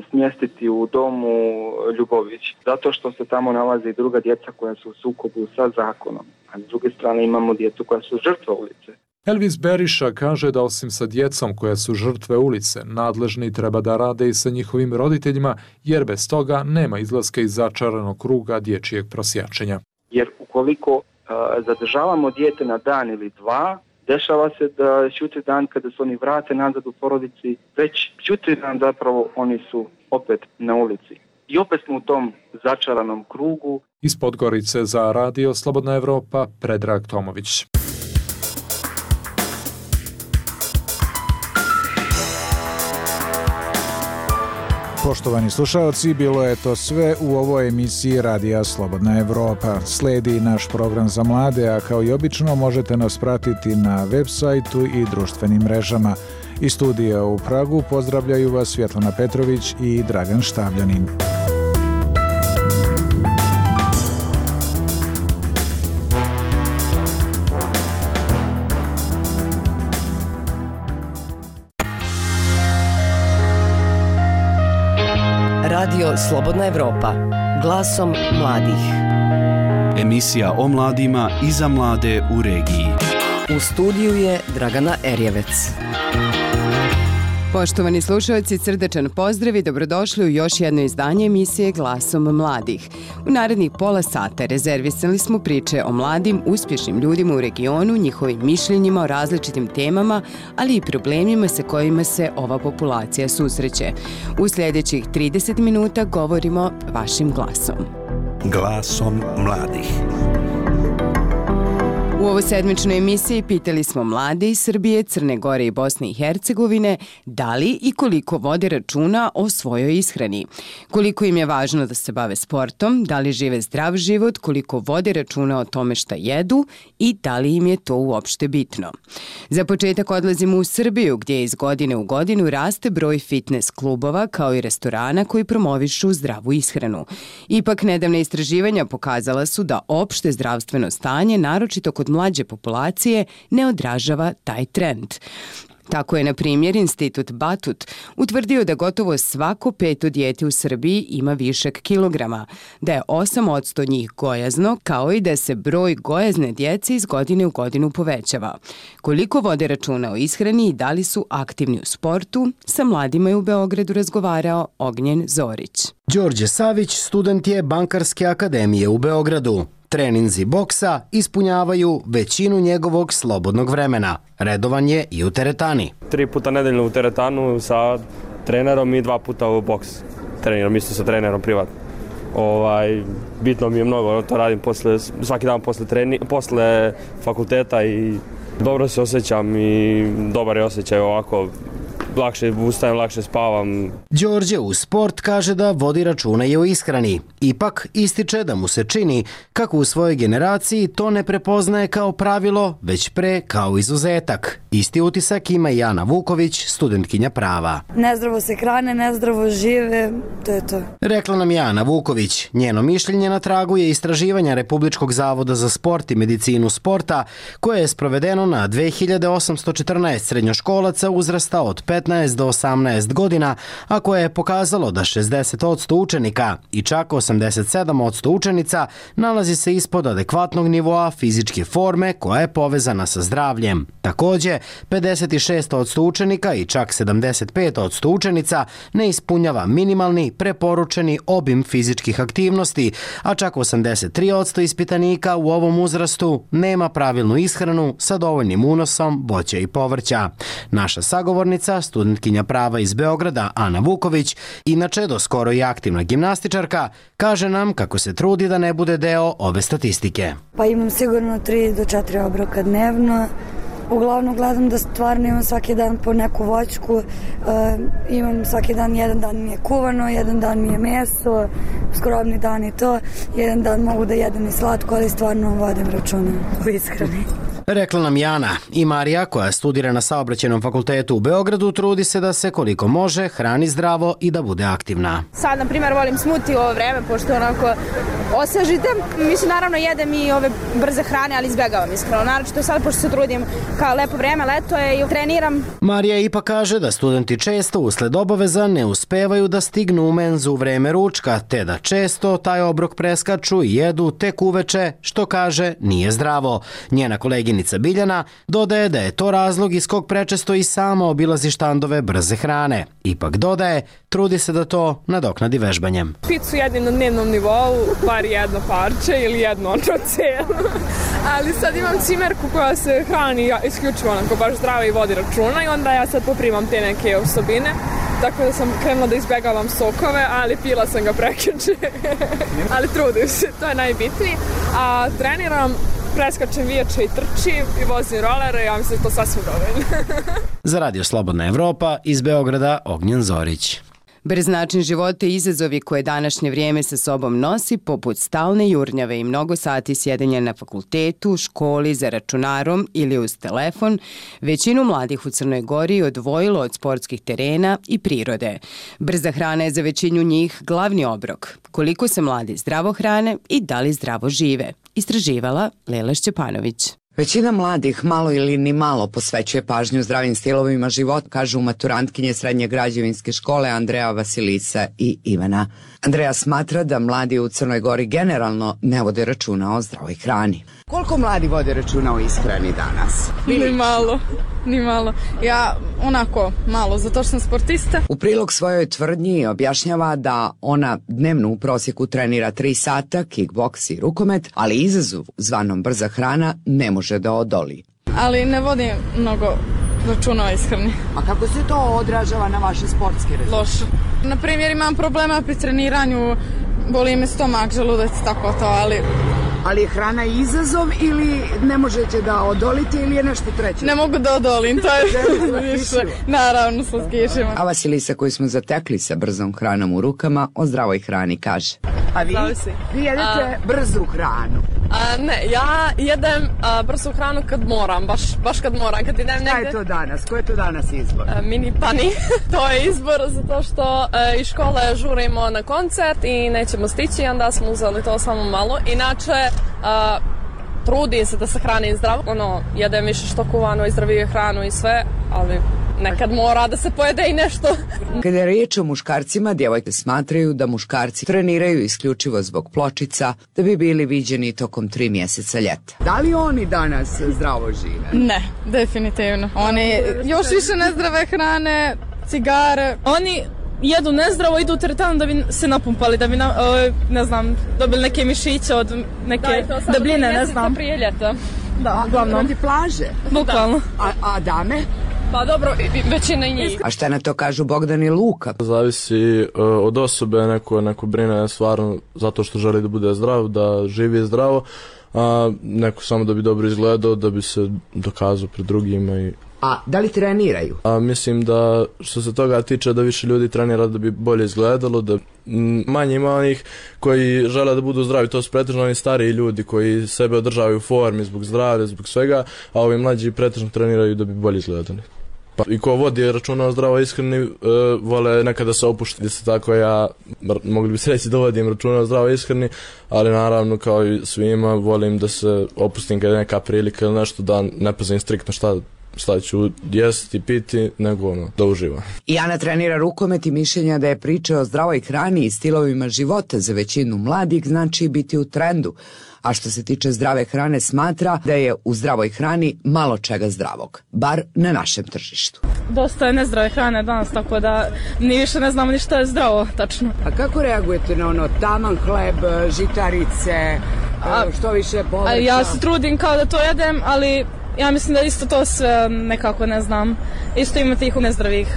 smjestiti u domu Ljubović, zato što se tamo nalaze i druga djeca koja su u sukobu sa zakonom. A s druge strane imamo djecu koja su žrtve ulice. Elvis Beriša kaže da osim sa djecom koja su žrtve ulice, nadležni treba da rade i sa njihovim roditeljima, jer bez toga nema izlaska iz začaranog kruga dječjeg prosjačenja. Jer ukoliko e, zadržavamo dijete na dan ili dva, Dešava se da jutri dan kada se oni vrate nazad u porodici, već jutri dan zapravo oni su opet na ulici. I opet smo u tom začaranom krugu. Iz Podgorice za Radio Slobodna Evropa, Predrag Tomović. Poštovani slušalci, bilo je to sve u ovoj emisiji Radija Slobodna Evropa. Sledi naš program za mlade, a kao i obično možete nas pratiti na web sajtu i društvenim mrežama. Iz studija u Pragu pozdravljaju vas Svjetlana Petrović i Dragan Štavljanin. Radio Slobodna Evropa, glasom mladih. Emisija o mladima i za mlade u regiji. U studiju je Dragana Erjevec. Poštovani slušalci, srdečan pozdrav i dobrodošli u još jedno izdanje emisije Glasom mladih. U narednih pola sata rezervisali smo priče o mladim, uspješnim ljudima u regionu, njihovim mišljenjima o različitim temama, ali i problemima sa kojima se ova populacija susreće. U sljedećih trideset minuta govorimo vašim glasom. Glasom mladih. U ovoj sedmičnoj emisiji pitali smo mlade iz Srbije, Crne Gore i Bosne i Hercegovine da li i koliko vode računa o svojoj ishrani. Koliko im je važno da se bave sportom, da li žive zdrav život, koliko vode računa o tome šta jedu i da li im je to uopšte bitno. Za početak odlazimo u Srbiju gdje iz godine u godinu raste broj fitness klubova kao i restorana koji promovišu zdravu ishranu. Ipak nedavna istraživanja pokazala su da opšte zdravstveno stanje, naročito kod mlađe populacije, ne odražava taj trend. Tako je, na primjer, Institut Batut utvrdio da gotovo svako peto dijete u Srbiji ima višak kilograma, da je osam posto njih gojazno, kao i da se broj gojazne djece iz godine u godinu povećava. Koliko vode računa o ishrani i da li su aktivni u sportu, sa mladima je u Beogradu razgovarao Ognjen Zorić. Đorđe Savić student je Bankarske akademije u Beogradu. Treninzi boksa ispunjavaju većinu njegovog slobodnog vremena. Redovan je i u teretani. Tri puta nedeljno u teretanu sa trenerom i dva puta u boks. Treniram isto sa trenerom privatno. Ovaj, bitno mi je mnogo, to radim posle, svaki dan posle, treni, posle fakulteta i dobro se osjećam i dobar je osjećaj ovako. Lakše ustajem, lakše spavam. Đorđe u sport kaže da vodi računa i o ishrani. Ipak ističe da mu se čini kako u svojoj generaciji to ne prepoznaje kao pravilo, već pre kao izuzetak. Isti utisak ima i Ana Vuković, studentkinja prava. Nezdravo se hrane, nezdravo žive, to je to. Rekla nam je Ana Vuković. Njeno mišljenje na tragu je istraživanja Republičkog zavoda za sport i medicinu sporta, koje je sprovedeno na dve hiljade osamsto četrnaest srednjoškolaca uzrasta od petnaest do osamnaest godina, a koje je pokazalo da šezdeset posto učenika i čak osamdeset sedam posto učenica nalazi se ispod adekvatnog nivoa fizičke forme koja je povezana sa zdravljem. Također, pedeset šest posto učenika i čak sedamdeset pet posto učenica ne ispunjava minimalni preporučeni obim fizičkih aktivnosti, a čak osamdeset tri posto ispitanika u ovom uzrastu nema pravilnu ishranu sa dovoljnim unosom voća i povrća. Naša sagovornica, studentkinja prava iz Beograda, Ana Vuković, inače do skoro i aktivna gimnastičarka, kaže nam kako se trudi da ne bude deo ove statistike. Pa imam sigurno tri do četiri obroka dnevno. Uglavnom gledam da stvarno imam svaki dan po neku voćku, uh, imam svaki dan, jedan dan mi je kuvano, jedan dan mi je meso, skromni dan i to, jedan dan mogu da jedem i slatko, ali stvarno vodim računa u ishrani. Rekla nam Jana. I Marija, koja studira na Saobraćajnom fakultetu u Beogradu, trudi se da se koliko može hrani zdravo i da bude aktivna. Sad, na primjer, volim smuti u ovo vreme, pošto onako osvežite. Mislim, naravno, jedem i ove brze hrane, ali izbjegavam iskreno. Naravno, sad, pošto se trudim kao lepo vreme, leto je i treniram. Marija ipak kaže da studenti često usled obaveza ne uspevaju da stignu u menzu u vreme ručka, te da često taj obrok preskaču i jedu tek uveče, što kaže nije zdravo. Njena koleginica Danica Biljana dodaje da je to razlog iz kog prečesto i sama obilazi štandove brze hrane. Ipak dodaje, trudi se da to nadoknadi vežbanjem. Picu jedim na dnevnom nivou, bar jedno parče ili jedno ono cijelo. Ali sad imam cimerku koja se hrani isključivo onako baš zdravo i vodi računa i onda ja sad poprimam te neke osobine. Tako da sam krenula da izbegavam sokove, ali pila sam ga prekjuče. Ali trudim se, to je najbitnije. A treniram, preskačem viječe i trčim i vozim rolere, ja mislim da to sasvim dovoljno. Za Radio Slobodna Evropa iz Beograda Ognjen Zorić. Brz način života i izazovi koje današnje vrijeme sa sobom nosi, poput stalne jurnjave i mnogo sati sjedenja na fakultetu, školi, za računarom ili uz telefon, većinu mladih u Crnoj Gori odvojilo od sportskih terena i prirode. Brza hrana je za većinu njih glavni obrok. Koliko se mladi zdravo hrane i da li zdravo žive? Istraživala Lela Šćepanović. Većina mladih malo ili ni malo posvećuje pažnju zdravim stilovima života, kažu maturantkinje Srednje građevinske škole Andreja Vasilisa i Ivana. Andreja smatra da mladi u Crnoj Gori generalno ne vode računa o zdravoj hrani. Koliko mladi vode računa o ishrani danas? Ni malo, ni malo. Ja onako malo, zato što sam sportista. U prilog svojoj tvrdnji objašnjava da ona dnevno u prosjeku trenira tri sata, kickboks i rukomet, ali izazov zvanom brza hrana ne može da odoli. Ali ne vodim mnogo računa o ishrani. A kako se to odražava na vaše sportske rezultate? Loše. Na primjer, imam problema pri treniranju, boli me stomak, želudac, tako to, ali... Ali je hrana izazov ili ne možete da odolite ili je nešto treće? Ne mogu da odolim, to je više, naravno, slatkišima. A Vasilisa koju smo zatekli sa brzom hranom u rukama o zdravoj hrani kaže. A vi? Vi jedete a, brzu hranu? A, ne, ja jedem a, brzu hranu kad moram, baš, baš kad moram. Kad idem negde... Šta je to danas? Ko je to danas izbor? A, mini pani. To je izbor zato što a, iz škole žurimo na koncert i nećemo stići, onda smo uzeli to samo malo. Inače, a, trudim se da se hranim zdravo. Ono, jedem više štokuvanu i zdraviju hranu i sve, ali... Nekad mora da se pojede i nešto. Kada je riječ o muškarcima, djevojke smatraju da muškarci treniraju isključivo zbog pločica da bi bili viđeni tokom tri mjeseca ljeta. Da li oni danas zdravo žive? Ne, definitivno. Oni još više nezdrave hrane, cigare. Oni jedu nezdravo, idu u teretanu da bi se napumpali, da bi, na, ne znam, dobili neke mišiće od neke da, debljine, ne znam. Prije ljeta. Da, uglavnom. Radi plaže? Bukvalno. A, a dame? Pa dobro, većina i njih. A šta na to kažu Bogdan i Luka? Zavisi uh, od osobe, neko, neko brine stvarno zato što želi da bude zdrav, da živi zdravo, a neko samo da bi dobro izgledao, da bi se dokazao pred drugima. I... A da li treniraju? A, mislim da što se toga tiče da više ljudi trenira da bi bolje izgledalo, da manje ima onih koji žele da budu zdravi, to su pretežno oni stariji ljudi koji sebe održavaju u formi zbog zdravlja, zbog svega, a ovi mlađi pretežno treniraju da bi bolje izgledali. Pa, i ko vodi računa o zdravoj ishrani, e, vole nekada se opuštiti, se tako ja, mogli bi se reći da vodim računa o zdravoj ishrani, ali naravno kao i svima volim da se opustim kada je neka prilika ili nešto, da ne pazim striktno šta šta ću jesti i piti, nego ono, da uživam. I Ana trenira rukomet i mišljenja da je priča o zdravoj hrani i stilovima života za većinu mladih znači biti u trendu. A što se tiče zdrave hrane smatra da je u zdravoj hrani malo čega zdravog, bar na našem tržištu. Dosta je nezdrave hrane danas, tako da ni više ne znamo ni što je zdravo, tačno. A kako reagujete na ono taman hleb, žitarice, a, što više povrća? Ja se trudim kao da to jedem, ali ja mislim da isto to sve nekako ne znam. Isto ima tih nezdravih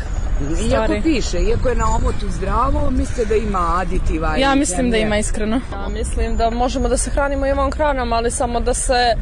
stvari. Iako piše, iako je na omotu zdravo, mislite da ima aditiva? Ja mislim da ima iskreno. Ja mislim da možemo da se hranimo i ovom hranom, ali samo da se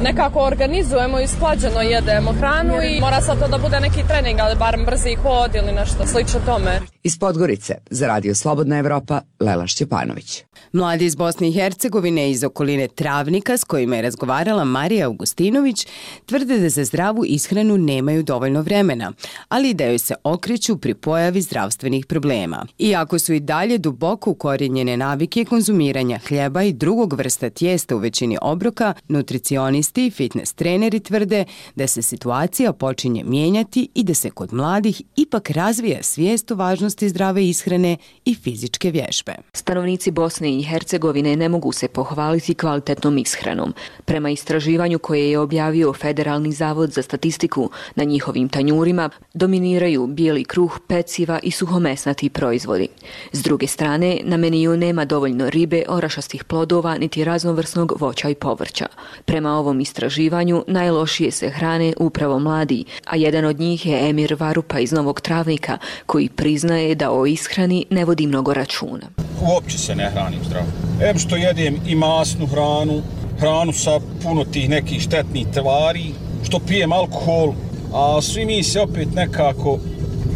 nekako organizujemo i sklađeno jedemo hranu i mora sad to da bude neki trening, ali barem brzi hod ili nešto slično tome. Iz Podgorice, za Radio Slobodna Evropa, Lela Šćepanović. Mladi iz Bosne i Hercegovine iz okoline Travnika s kojima je razgovarala Marija Augustinović tvrde da za zdravu ishranu nemaju dovoljno vremena, ali da joj se okreću pri pojavi zdravstvenih problema. Iako su i dalje duboko ukorijenjene navike konzumiranja hljeba i drugog vrsta tijesta u većini obroka, nutricionisti i fitness treneri tvrde da se situacija počinje mijenjati i da se kod mladih ipak razvija svijest o važnosti važnosti zdrave ishrane i fizičke vježbe. Stanovnici Bosne i Hercegovine ne mogu se pohvaliti kvalitetnom ishranom. Prema istraživanju koje je objavio Federalni zavod za statistiku, na njihovim tanjurima dominiraju bijeli kruh, peciva i suhomesnati proizvodi. S druge strane, na meniju nema dovoljno ribe, orašastih plodova niti raznovrsnog voća i povrća. Prema ovom istraživanju najlošije se hrane upravo mladi, a jedan od njih je Emir Varupa iz Novog Travnika, koji priznaje da o ishrani ne vodi mnogo računa. Uopće se ne hranim zdravo. Em što jedem i masnu hranu, hranu sa puno tih nekih štetnih tvari, što pijem alkohol, a svi mi se opet nekako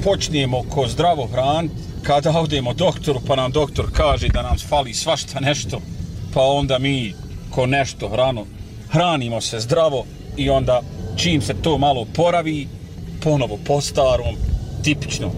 počnemo ko zdravo hraniti kada odemo doktoru, pa nam doktor kaže da nam fali svašta nešto, pa onda mi ko nešto hranu, hranimo se zdravo i onda čim se to malo poravi, ponovo po starom, tipično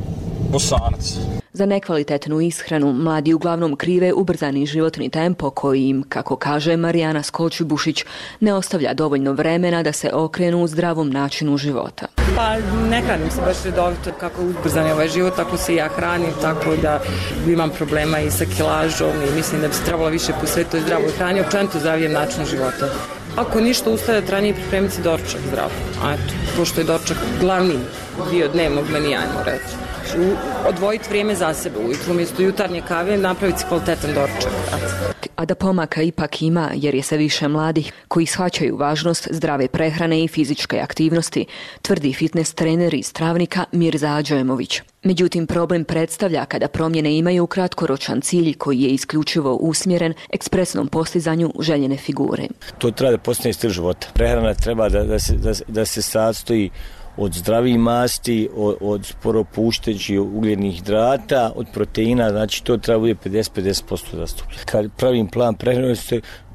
Bosanac. Za nekvalitetnu ishranu mladi uglavnom krive ubrzani životni tempo koji im, kako kaže Marijana Skolči-Bušić, ne ostavlja dovoljno vremena da se okrenu u zdravom načinu života. Pa ne hranim se baš redovito, kako ubrzani ovaj život, tako se i ja hranim, tako da imam problema i sa kilažom i mislim da bi se trebalo više posvetiti zdravoj hrani, općenito zdravijem načinu života. Ako ništa, ustavljati ranije i pripremiti doručak zdravo. A eto, pošto je doručak glavni dio dnevnog menija, ajmo reći. Odvojiti vrijeme za sebe ujutru, umjesto jutarnje kave napraviti kvalitetan doručak. A da pomaka ipak ima, jer je sve više mladih koji shvaćaju važnost zdrave prehrane i fizičke aktivnosti, tvrdi fitness trener iz Travnika Mirza Adžemović. Međutim, problem predstavlja kada promjene imaju kratkoročan cilj koji je isključivo usmjeren ekspresnom postizanju željene figure. To treba da postane stil života. Prehrana treba da, da, se, da, da se sastoji od zdravih masti, od, od sporopuštećih ugljenih hidrata, od proteina, znači to treba bude pedeset do pedeset posto zastupljeno. Kad pravim plan prehrane,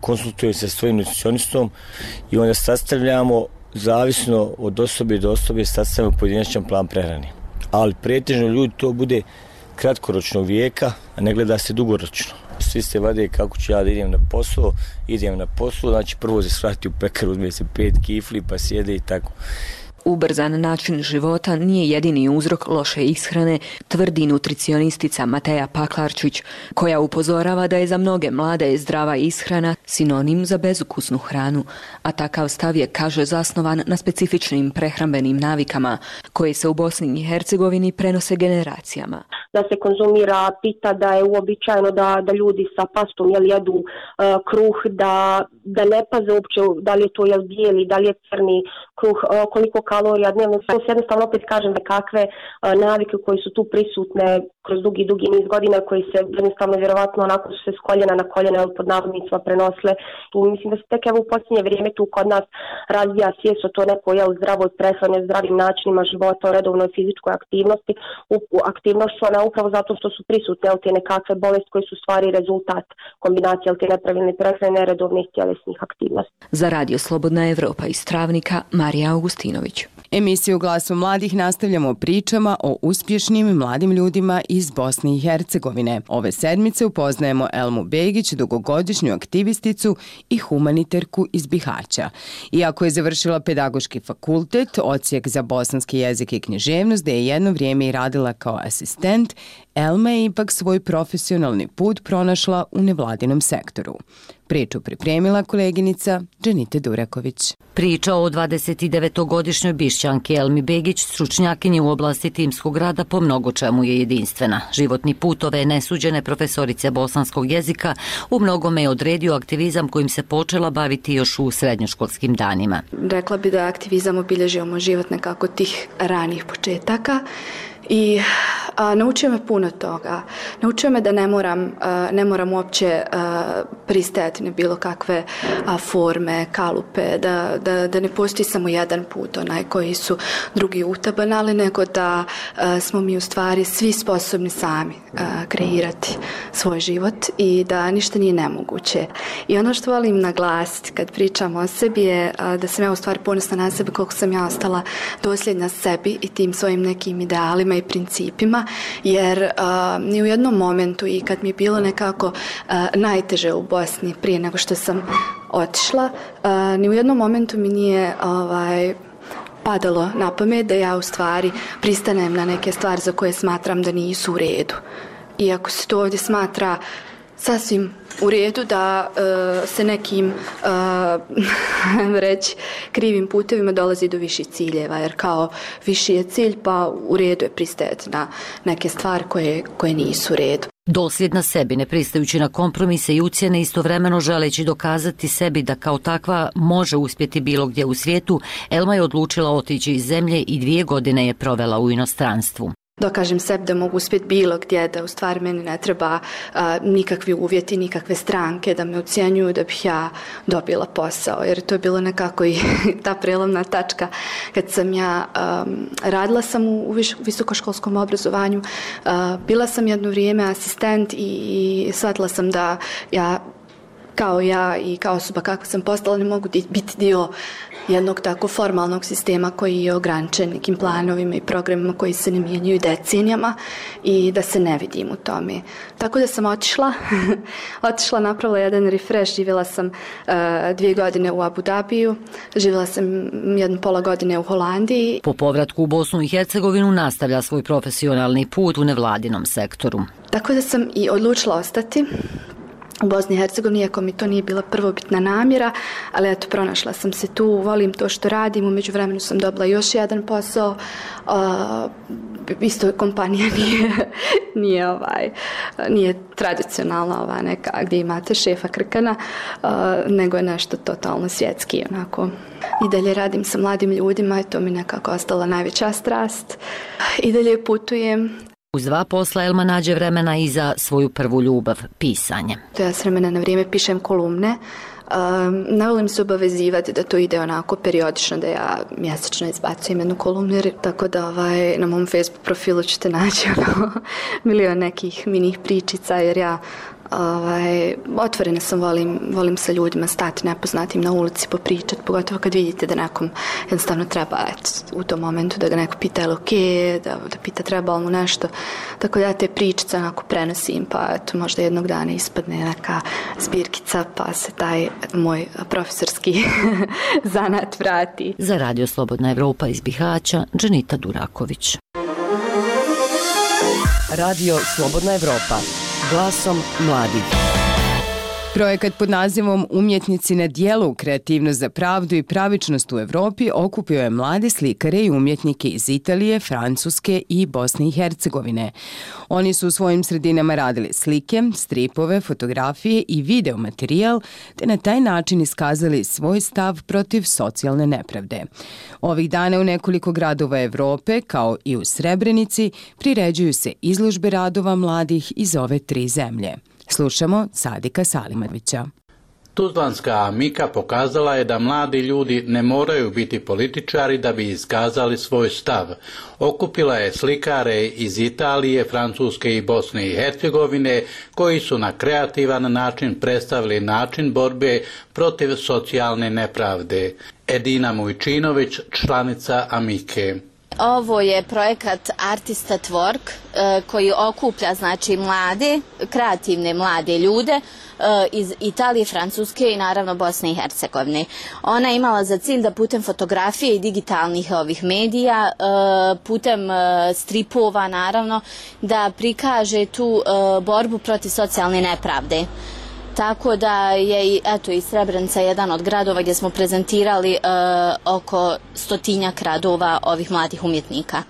konsultujem se s svojim nutricionistom i onda sastavljamo, zavisno od osobe do osobe, sastavljamo pojedinačan plan prehrane. Ali pretežno ljudi to bude kratkoročnog vijeka, a ne gleda se dugoročno. Svi se vade kako ću ja da idem na posao, idem na posao, znači prvo se svrati u pekaru, uzme se pet kifli pa sjede i tako. Ubrzan način života nije jedini uzrok loše ishrane, tvrdi nutricionistica Mateja Paklarčić, koja upozorava da je za mnoge mlade zdrava ishrana sinonim za bezukusnu hranu, a takav stav je, kaže, zasnovan na specifičnim prehrambenim navikama koje se u Bosni i Hercegovini prenose generacijama. Da se konzumira pita, da je uobičajeno da, da ljudi sa pastom jel, jedu uh, kruh, da, da ne paze uopće da li je to jel, bijeli, da li je crni kruh, uh, koliko kalorija dnevno. To se jednostavno opet kažem da kakve uh, navike koje su tu prisutne kroz dugi, dugi niz godina, koji se jednostavno vjerovatno onako su se s koljena na koljena ili pod navodnicima prenosile. Tu mislim da se tek evo u posljednje vrijeme tu kod nas razvija svijest o to neko jel, zdravoj prehrani, zdravim načinima života, o redovnoj fizičkoj aktivnosti, u, u aktivnošću, ona upravo zato što su prisutne jel, te nekakve bolesti koji su stvari rezultat kombinacije jel, te nepravilne prehrane, neredovnih tjelesnih aktivnosti. Za Radio Slobodna Evropa iz Travnika, Marija Augustinović. Emisiju Glasom mladih nastavljamo pričama o uspješnim mladim ljudima iz Bosne i Hercegovine. Ove sedmice upoznajemo Elmu Begić, dugogodišnju aktivisticu i humaniterku iz Bihaća. Iako je završila pedagoški fakultet, odsjek za bosanski jezik i književnost, gdje je jedno vrijeme i radila kao asistent, Elma je ipak svoj profesionalni put pronašla u nevladinom sektoru. Priču pripremila koleginica Dženite Duraković. Priča o dvadesetdevetogodišnjoj Bišćanki Elmi Begić, stručnjakinji u oblasti timskog rada, po mnogo čemu je jedinstvena. Životni put ove nesuđene profesorice bosanskog jezika u mnogome je odredio aktivizam kojim se počela baviti još u srednjoškolskim danima. Rekla bi da aktivizam obilježio moj život nekako tih ranih početaka. I a, naučio me puno toga. Naučio me da ne moram, a, ne moram uopće a, pristajati na bilo kakve a, forme, kalupe, da, da, da ne postoji samo jedan put, onaj koji su drugi utabanali, nego da a, smo mi u stvari svi sposobni sami a, kreirati svoj život i da ništa nije nemoguće. I ono što volim naglasiti kad pričam o sebi je a, da sam ja u stvari ponosna na sebe koliko sam ja ostala dosljedna sebi i tim svojim nekim idealima i principima, jer uh, ni u jednom momentu i kad mi je bilo nekako uh, najteže u Bosni prije nego što sam otišla, uh, ni u jednom momentu mi nije ovaj, padalo na pamet da ja u stvari pristanem na neke stvari za koje smatram da nisu u redu. Iako se to ovdje smatra sasvim u redu da uh, se nekim uh, reći krivim putevima dolazi do viših ciljeva, jer kao viši je cilj pa u redu je pristajati na neke stvari koje, koje nisu u redu. Dosljedna sebi, ne pristajući na kompromise i ucjene, istovremeno želeći dokazati sebi da kao takva može uspjeti bilo gdje u svijetu, Elma je odlučila otići iz zemlje i dvije godine je provela u inostranstvu. Dokažem sebi da mogu uspjeti bilo gdje, da u stvari meni ne treba a, nikakvi uvjeti, nikakve stranke da me ucijenjuju da bih ja dobila posao, jer to je bilo nekako i ta prelomna tačka kad sam ja um, radila sam u, u visokoškolskom obrazovanju, uh, bila sam jedno vrijeme asistent i, i shvatila sam da ja kao ja i kao osoba kakva sam postala ne mogu biti dio jednog tako formalnog sistema koji je ograničen nekim planovima i programima koji se ne mijenjaju decenijama i da se ne vidim u tome. Tako da sam otišla, otišla, napravila jedan refresh, živjela sam uh, dvije godine u Abu Dhabiju, živjela sam jednu pola godine u Holandiji. Po povratku u Bosnu i Hercegovinu nastavlja svoj profesionalni put u nevladinom sektoru. Tako da sam i odlučila ostati u Bosni i Hercegovini, iako mi to nije bila prvobitna namjera, ali eto, pronašla sam se tu, volim to što radim, u međuvremenu sam dobila još jedan posao, uh, isto kompanija nije, nije, ovaj, nije tradicionalna ova neka gdje imate šefa krkana, uh, nego je nešto totalno svjetski, onako. I dalje radim sa mladim ljudima i to mi nekako ostala najveća strast. I dalje putujem. Uz dva posla Elma nađe vremena i za svoju prvu ljubav, pisanje. To ja s vremena na vrijeme pišem kolumne. Um, ne volim se obavezivati da to ide onako periodično, da ja mjesečno izbacujem jednu kolumnu, tako da ovaj, na mom Facebook profilu ćete naći ono, milion nekih minih pričica, jer ja Ovaj, otvorena sam, volim, volim sa ljudima stati nepoznatim na ulici, popričati, pogotovo kad vidite da nekom jednostavno treba, eto, u tom momentu da ga neko pita je li okej, da, da pita treba li mu nešto. Tako da ja te pričice onako prenosim, pa eto, možda jednog dana ispadne neka zbirkica, pa se taj moj profesorski zanat vrati. Za Radio Slobodna Evropa iz Bihaća, Dženita Duraković. Radio Slobodna Evropa. Glasom mladih. Projekat pod nazivom Umjetnici na dijelu, kreativnost za pravdu i pravičnost u Evropi okupio je mlade slikare i umjetnike iz Italije, Francuske i Bosne i Hercegovine. Oni su u svojim sredinama radili slike, stripove, fotografije i video materijal, te na taj način iskazali svoj stav protiv socijalne nepravde. Ovih dana u nekoliko gradova Evrope, kao i u Srebrenici, priređuju se izložbe radova mladih iz ove tri zemlje. Slušamo Sadika Salimovića. Tuzlanska Amika pokazala je da mladi ljudi ne moraju biti političari da bi iskazali svoj stav. Okupila je slikare iz Italije, Francuske i Bosne i Hercegovine koji su na kreativan način predstavili način borbe protiv socijalne nepravde. Edina Mujčinović, članica Amike. Ovo je projekat Artist at Work koji okuplja znači mlade, kreativne mlade ljude iz Italije, Francuske i naravno Bosne i Hercegovine. Ona je imala za cilj da putem fotografije i digitalnih ovih medija, putem stripova naravno, da prikaže tu borbu protiv socijalne nepravde. Tako da je eto, i Srebrenica jedan od gradova gdje smo prezentirali e, oko stotinjak radova ovih mladih umjetnika.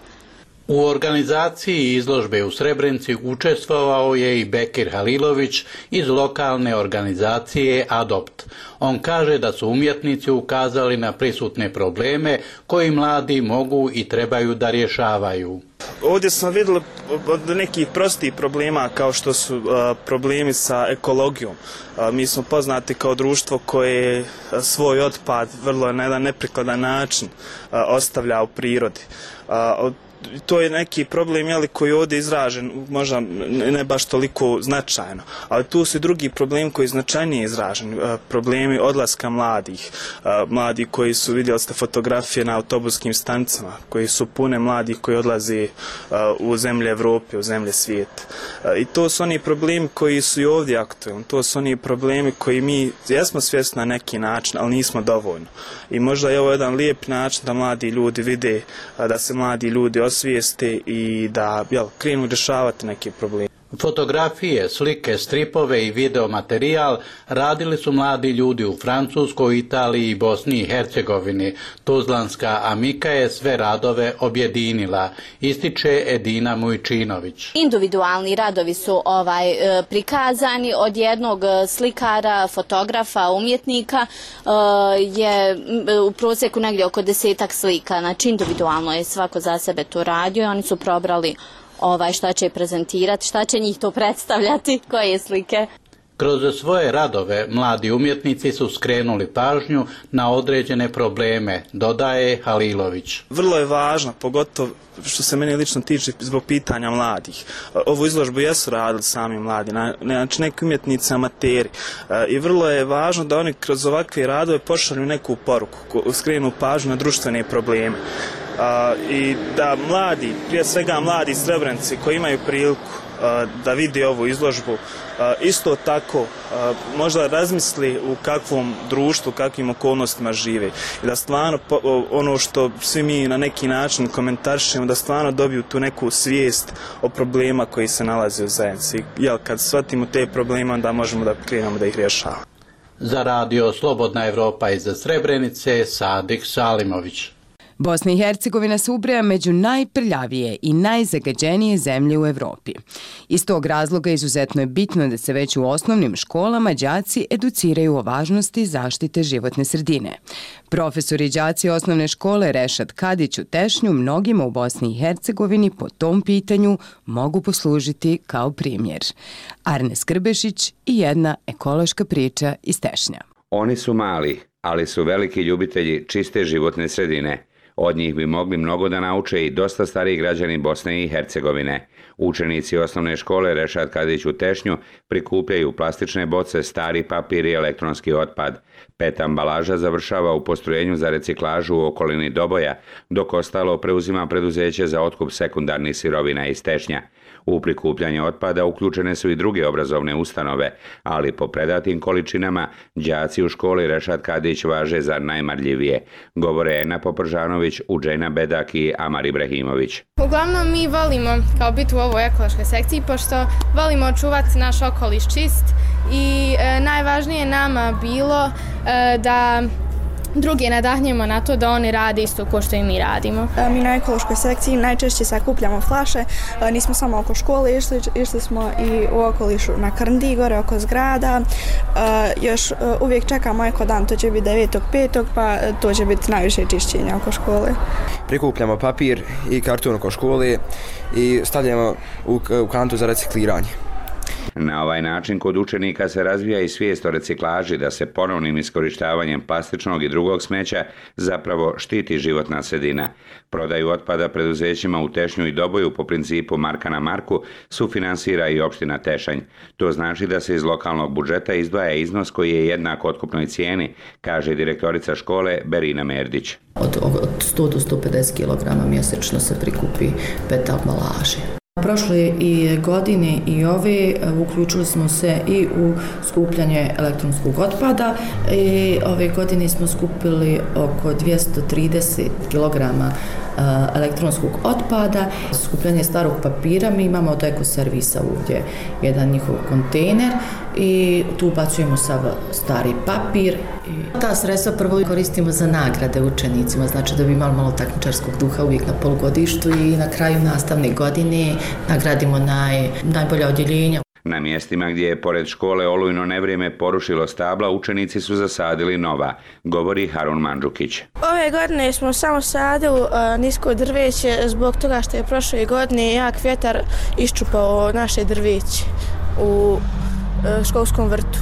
U organizaciji izložbe u Srebrenici učestvovao je i Bekir Halilović iz lokalne organizacije Adopt. On kaže da su umjetnici ukazali na prisutne probleme koji mladi mogu i trebaju da rješavaju. Ovdje smo vidjeli od nekih prostih problema kao što su uh, problemi sa ekologijom. Uh, mi smo poznati kao društvo koje svoj otpad vrlo na jedan neprikladan način uh, ostavlja u prirodi. Uh, to je neki problem jeli, koji je ovdje izražen, možda ne baš toliko značajno, ali tu su i drugi problemi koji je značajnije izražen, problemi odlaska mladih, mladi koji su, vidjeli ste fotografije na autobuskim stanicama, koji su pune mladih koji odlaze u zemlje Evrope, u zemlje svijeta. I to su oni problemi koji su i ovdje aktualni, to su oni problemi koji mi jesmo svjesni na neki način, ali nismo dovoljno. I možda je ovo jedan lijep način da mladi ljudi vide, da se mladi ljudi osvijeste i da jel, krenu rješavati neke probleme. Fotografije, slike, stripove i videomaterijal radili su mladi ljudi u Francuskoj, Italiji i Bosni i Hercegovini. Tuzlanska Amika je sve radove objedinila, ističe Edina Mujčinović. Individualni radovi su ovaj prikazani od jednog slikara, fotografa, umjetnika, je u prosjeku negdje oko desetak slika. Znači individualno je svako za sebe to radio i oni su probrali ovaj, šta će prezentirati, šta će njih to predstavljati, koje slike. Kroz svoje radove mladi umjetnici su skrenuli pažnju na određene probleme, dodaje Halilović. Vrlo je važno, pogotovo što se mene lično tiče zbog pitanja mladih. Ovu izložbu jesu radili sami mladi, znači neki umjetnici amateri. I vrlo je važno da oni kroz ovakve radove pošalju neku poruku, skrenu pažnju na društvene probleme. Uh, i da mladi, prije svega mladi Srebrenci koji imaju priliku uh, da vide ovu izložbu, uh, isto tako uh, možda razmisli u kakvom društvu, kakvim okolnostima žive i da stvarno po, uh, ono što svi mi na neki način komentarišemo, da stvarno dobiju tu neku svijest o problema koji se nalaze u zajednici. Jel, kad shvatimo te probleme, onda možemo da krenemo da ih rješavamo. Za radio Slobodna Evropa iz Srebrenice, Sadik Salimović. Bosna i Hercegovina se ubraja među najprljavije i najzagađenije zemlje u Evropi. Iz tog razloga izuzetno je bitno da se već u osnovnim školama đaci educiraju o važnosti zaštite životne sredine. Profesori i đaci osnovne škole Rešad Kadić u Tešnju mnogima u Bosni i Hercegovini po tom pitanju mogu poslužiti kao primjer. Arne Skrbešić i jedna ekološka priča iz Tešnja. Oni su mali, ali su veliki ljubitelji čiste životne sredine. Od njih bi mogli mnogo da nauče i dosta stariji građani Bosne i Hercegovine. Učenici osnovne škole Rešad Kadić u Tešnju prikupljaju plastične boce, stari papir i elektronski otpad. Pet ambalaža završava u postrojenju za reciklažu u okolini Doboja, dok ostalo preuzima preduzeće za otkup sekundarnih sirovina iz Tešnja. U prikupljanje otpada uključene su i druge obrazovne ustanove, ali po predatim količinama đaci u školi Rešad Kadić važe za najmarljivije, govore Ena Popržanović, Uđejna Bedak i Amar Ibrahimović. Uglavnom mi volimo kao biti u ovoj ekološkoj sekciji, pošto volimo čuvati naš okoliš čist i e, najvažnije nama bilo e, da druge nadahnjemo na to da oni rade isto kao što i mi radimo. Mi na ekološkoj sekciji najčešće sakupljamo flaše, nismo samo oko škole išli, išli smo i u okolišu na Krndi, gore oko zgrada. Još uvijek čekamo eko dan, to će biti devetog petog pa to će biti najviše čišćenja oko škole. Prikupljamo papir i karton oko škole i stavljamo u, u kantu za recikliranje. Na ovaj način kod učenika se razvija i svijest o reciklaži, da se ponovnim iskorištavanjem plastičnog i drugog smeća zapravo štiti životna sredina. Prodaju otpada preduzećima u Tešnju i Doboju po principu marka na marku sufinansira i opština Tešanj. To znači da se iz lokalnog budžeta izdvaja iznos koji je jednak otkupnoj cijeni, kaže direktorica škole Berina Merdić. Od, od sto do sto pedeset kilograma mjesečno se prikupi pet ambalaže. Prošle i godine i ove uključili smo se i u skupljanje elektronskog otpada i ove godine smo skupili oko dvjesto trideset kilograma elektronskog otpada. Skupljanje starog papira, mi imamo od Eko servisa ovdje jedan njihov kontejner i tu ubacujemo sav stari papir. Ta sredstva prvo koristimo za nagrade učenicima, znači da bi imali malo takmičarskog duha uvijek na polugodištu i na kraju nastavne godine nagradimo naj, najbolja odjeljenja. Na mjestima gdje je pored škole olujno nevrijeme porušilo stabla, učenici su zasadili nova, govori Harun Mandžukić. Ove godine smo samo sadili uh, nisko drveće zbog toga što je prošle godine jak vjetar iščupao naše drveće u uh, školskom vrtu.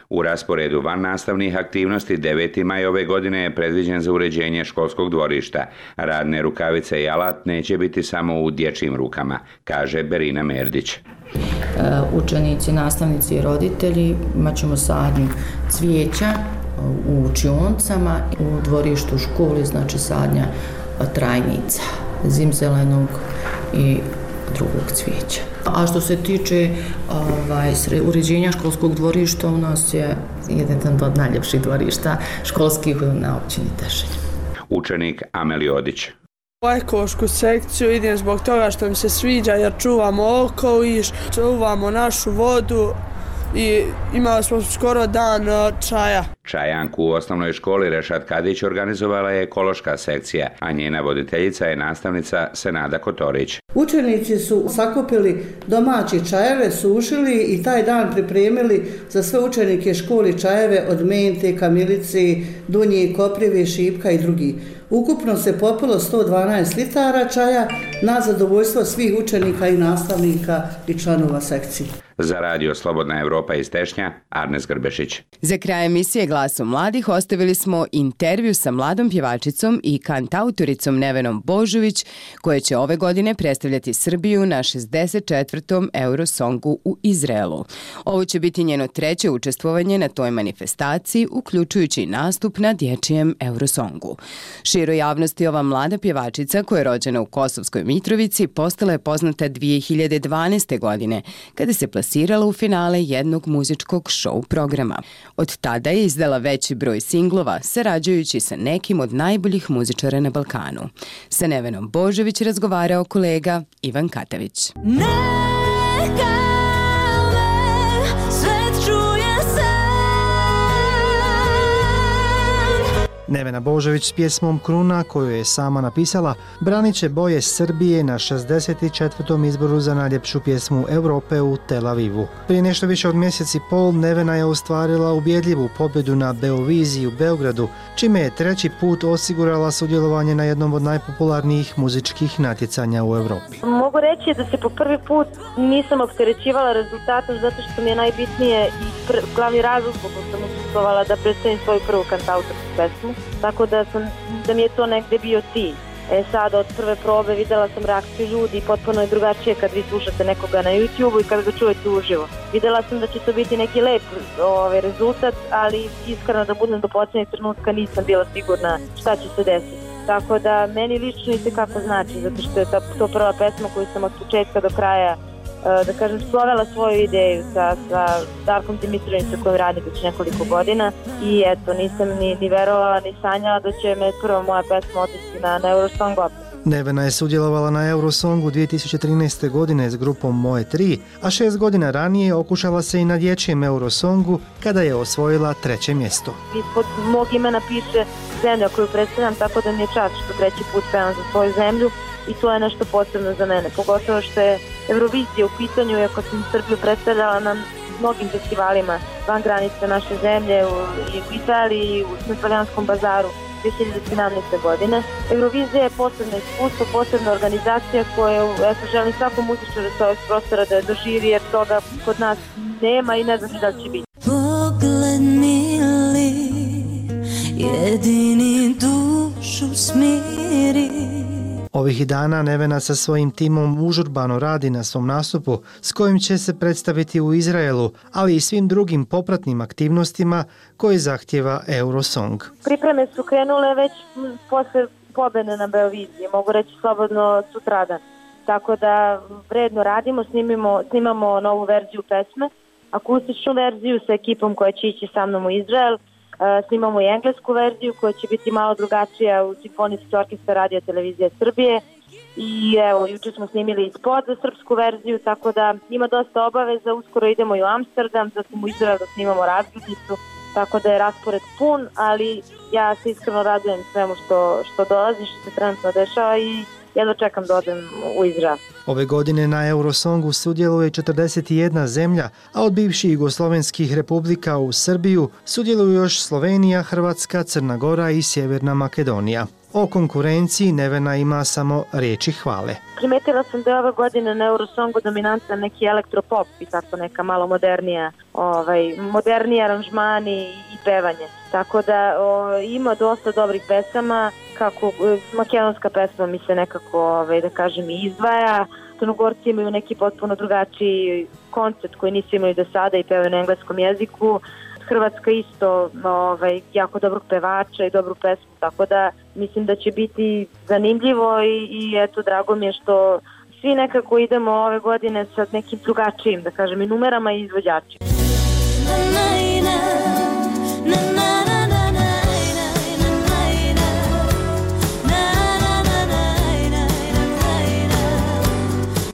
U rasporedu van nastavnih aktivnosti deveti maj ove godine je predviđen za uređenje školskog dvorišta. Radne rukavice i alat neće biti samo u dječjim rukama, kaže Berina Merdić. Učenici, nastavnici i roditelji imat ćemo sadnju cvijeća u učionicama, u dvorištu školi, znači sadnja trajnica, zimzelenog i drugog cvijeća. A što se tiče ovaj, uređenja školskog dvorišta, u nas je jedan od najljepših dvorišta školskih na općini Tešelj. Učenik Ameli Odić. U ekološku sekciju idem zbog toga što mi se sviđa jer čuvamo okoliš, čuvamo našu vodu i imali smo skoro dan čaja. Čajanku u osnovnoj školi Rešad Kadić organizovala je ekološka sekcija, a njena voditeljica je nastavnica Senada Kotorić. Učenici su sakupili domaće čajeve, sušili i taj dan pripremili za sve učenike školi čajeve od mente, kamilice, dunje, koprive, šipka i drugi. Ukupno se popilo sto dvanaest litara čaja na zadovoljstvo svih učenika i nastavnika i članova sekcije. Za radio Slobodna Evropa iz Tešnja, Arnes Grbešić. Za kraj emisije Glasom mladih ostavili smo intervju sa mladom pjevačicom i kantautoricom Nevenom Božović, koja će ove godine predstavljati Srbiju na šezdeset četvrtom Eurosongu u Izraelu. Ovo će biti njeno treće učestvovanje na toj manifestaciji, uključujući i nastup na dječjem Eurosongu. Široj javnosti ova mlada pjevačica, koja je rođena u Kosovskoj Mitrovici, postala je poznata dvije hiljade dvanaeste. godine, kada se plasirala u finale jednog muzičkog show programa. Od tada je izdala veći broj singlova, sarađujući sa nekim od najboljih muzičara na Balkanu. Sa Nevenom Božović razgovarao kolega Ivan Katavić. Neka me svet čuje se. Nevena Božović s pjesmom Kruna, koju je sama napisala, branit će boje Srbije na šezdeset četvrtom izboru za najljepšu pjesmu Europe u Tel Avivu. Prije nešto više od mjesec i pol Nevena je ostvarila ubjedljivu pobjedu na Beoviziji u Beogradu, čime je treći put osigurala sudjelovanje na jednom od najpopularnijih muzičkih natjecanja u Europi. Mogu reći da se po prvi put nisam opterećivala rezultatom zato što mi je najbitnije i pr- glavni razlog zbog kojeg sam učestvovala da predstavim svoju prvu kantautorsku pesmu. Tako da, sam, da mi je to negde bio cilj. E sad od prve probe videla sam reakciju ljudi, potpuno je drugačije kad vi slušate nekoga na YouTube-u i kad ga čujete uživo. Videla sam da će to biti neki lep ovaj, rezultat, ali iskreno da budem do posljednjeg trenutka nisam bila sigurna šta će se desiti. Tako da meni lično i kako znači, zato što je ta, to prva pesma koju sam od početka do kraja da kažem, slovela svoju ideju sa, sa Darkom Dimitrijevićem kojim radim već nekoliko godina i eto, nisam ni, ni verovala ni sanjala da će me prva moja pesma otići na, na Eurosong opet. Nevena je sudjelovala na Eurosongu dvije tisuće trinaeste. godine s grupom Moje tri, a šest godina ranije okušala se i na dječjem Eurosongu kada je osvojila treće mjesto. Ispod mog imena piše zemlja koju predstavljam, tako da mi je čast što treći put pevam za svoju zemlju. I to je nešto posebno za mene, pogotovo što je Eurovizija u pitanju, iako sam Srbiju predstavljala na mnogim festivalima van granice naše zemlje, u, i u Italiji, u Svetoljanskom bazaru dvije hiljade sedamnaeste. godine. Eurovizija je posebno iskustvo, posebna organizacija koju eto, želim svakom muzičaru sa ovog prostora da je doživi, jer toga kod nas nema i ne znam da će biti. Pogled mili, jedini dušu smiri. Ovih dana Nevena sa svojim timom užurbano radi na svom nastupu s kojim će se predstaviti u Izraelu, ali i svim drugim popratnim aktivnostima koje zahtjeva Eurosong. Pripreme su krenule već posle pobjede na Beoviziji, mogu reći slobodno sutradan. Tako da vredno radimo, snimimo, snimamo novu verziju pesme, akustičnu verziju sa ekipom koja će ići sa mnom u Izrael. Snimamo i englesku verziju koja će biti malo drugačija u Simfonijski orkestar Radio Televizije Srbije i evo, juče smo snimili i spot za srpsku verziju, tako da ima dosta obaveza, uskoro idemo i u Amsterdam, zatim u Izrael da snimamo razglednicu, tako da je raspored pun, ali ja se iskreno radujem svemu što, što dolazi, što se trenutno dešava i jedno čekam da odem u Izrael. Ove godine na Eurosongu sudjeluje četrdeset jedna zemlja, a od bivših jugoslovenskih republika u Srbiju sudjeluju još Slovenija, Hrvatska, Crna Gora i Sjeverna Makedonija. O konkurenciji Nevena ima samo riječi hvale. Primetila sam da je ove godine na Eurosongu dominantan neki elektropop i tako neka malo modernija, ovaj, moderniji aranžmani i pevanje. Tako da o, ima dosta dobrih pesama, kako makedonska pesma mi se nekako, ovaj, da kažem, izdvaja. Crnogorci imaju neki potpuno drugačiji koncept koji nisu imali do sada i pevaju na engleskom jeziku. Hrvatska isto ovaj, jako dobrog pevača i dobru pesmu, tako da mislim da će biti zanimljivo i, i eto, drago mi je što svi nekako idemo ove godine sa nekim drugačijim, da kažem, i numerama i izvođačima.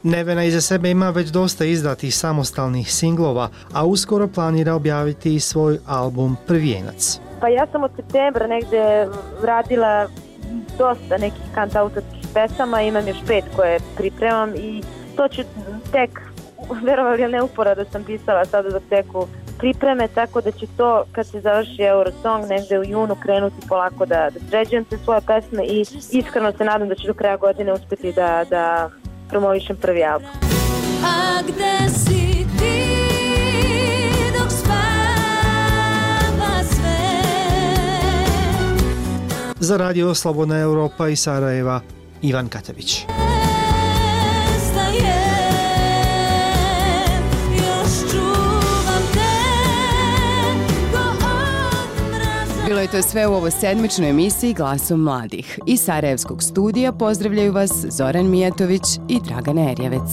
Nevena iza sebe ima već dosta izdatih samostalnih singlova, a uskoro planira objaviti i svoj album Prvijenac. Pa ja sam od septembra negde radila dosta nekih kantautorskih pesama, imam još pet koje pripremam i to ću tek, verovali ili ne, uporado sam pisala sada za teku pripreme, tako da će to kad se završi Eurosong negde u junu krenuti polako da, da sređujem te svoje pesme i iskreno se nadam da ću do kraja godine uspjeti da, da promovišem prvi album. A gde si ti dok spava sve? Za Radio Slobodna Europa iz Sarajeva, Ivan Katavić. Bilo je to sve u ovoj sedmičnoj emisiji Glasom mladih. Iz Sarajevskog studija pozdravljaju vas Zoran Mijatović i Dragana Erjevec.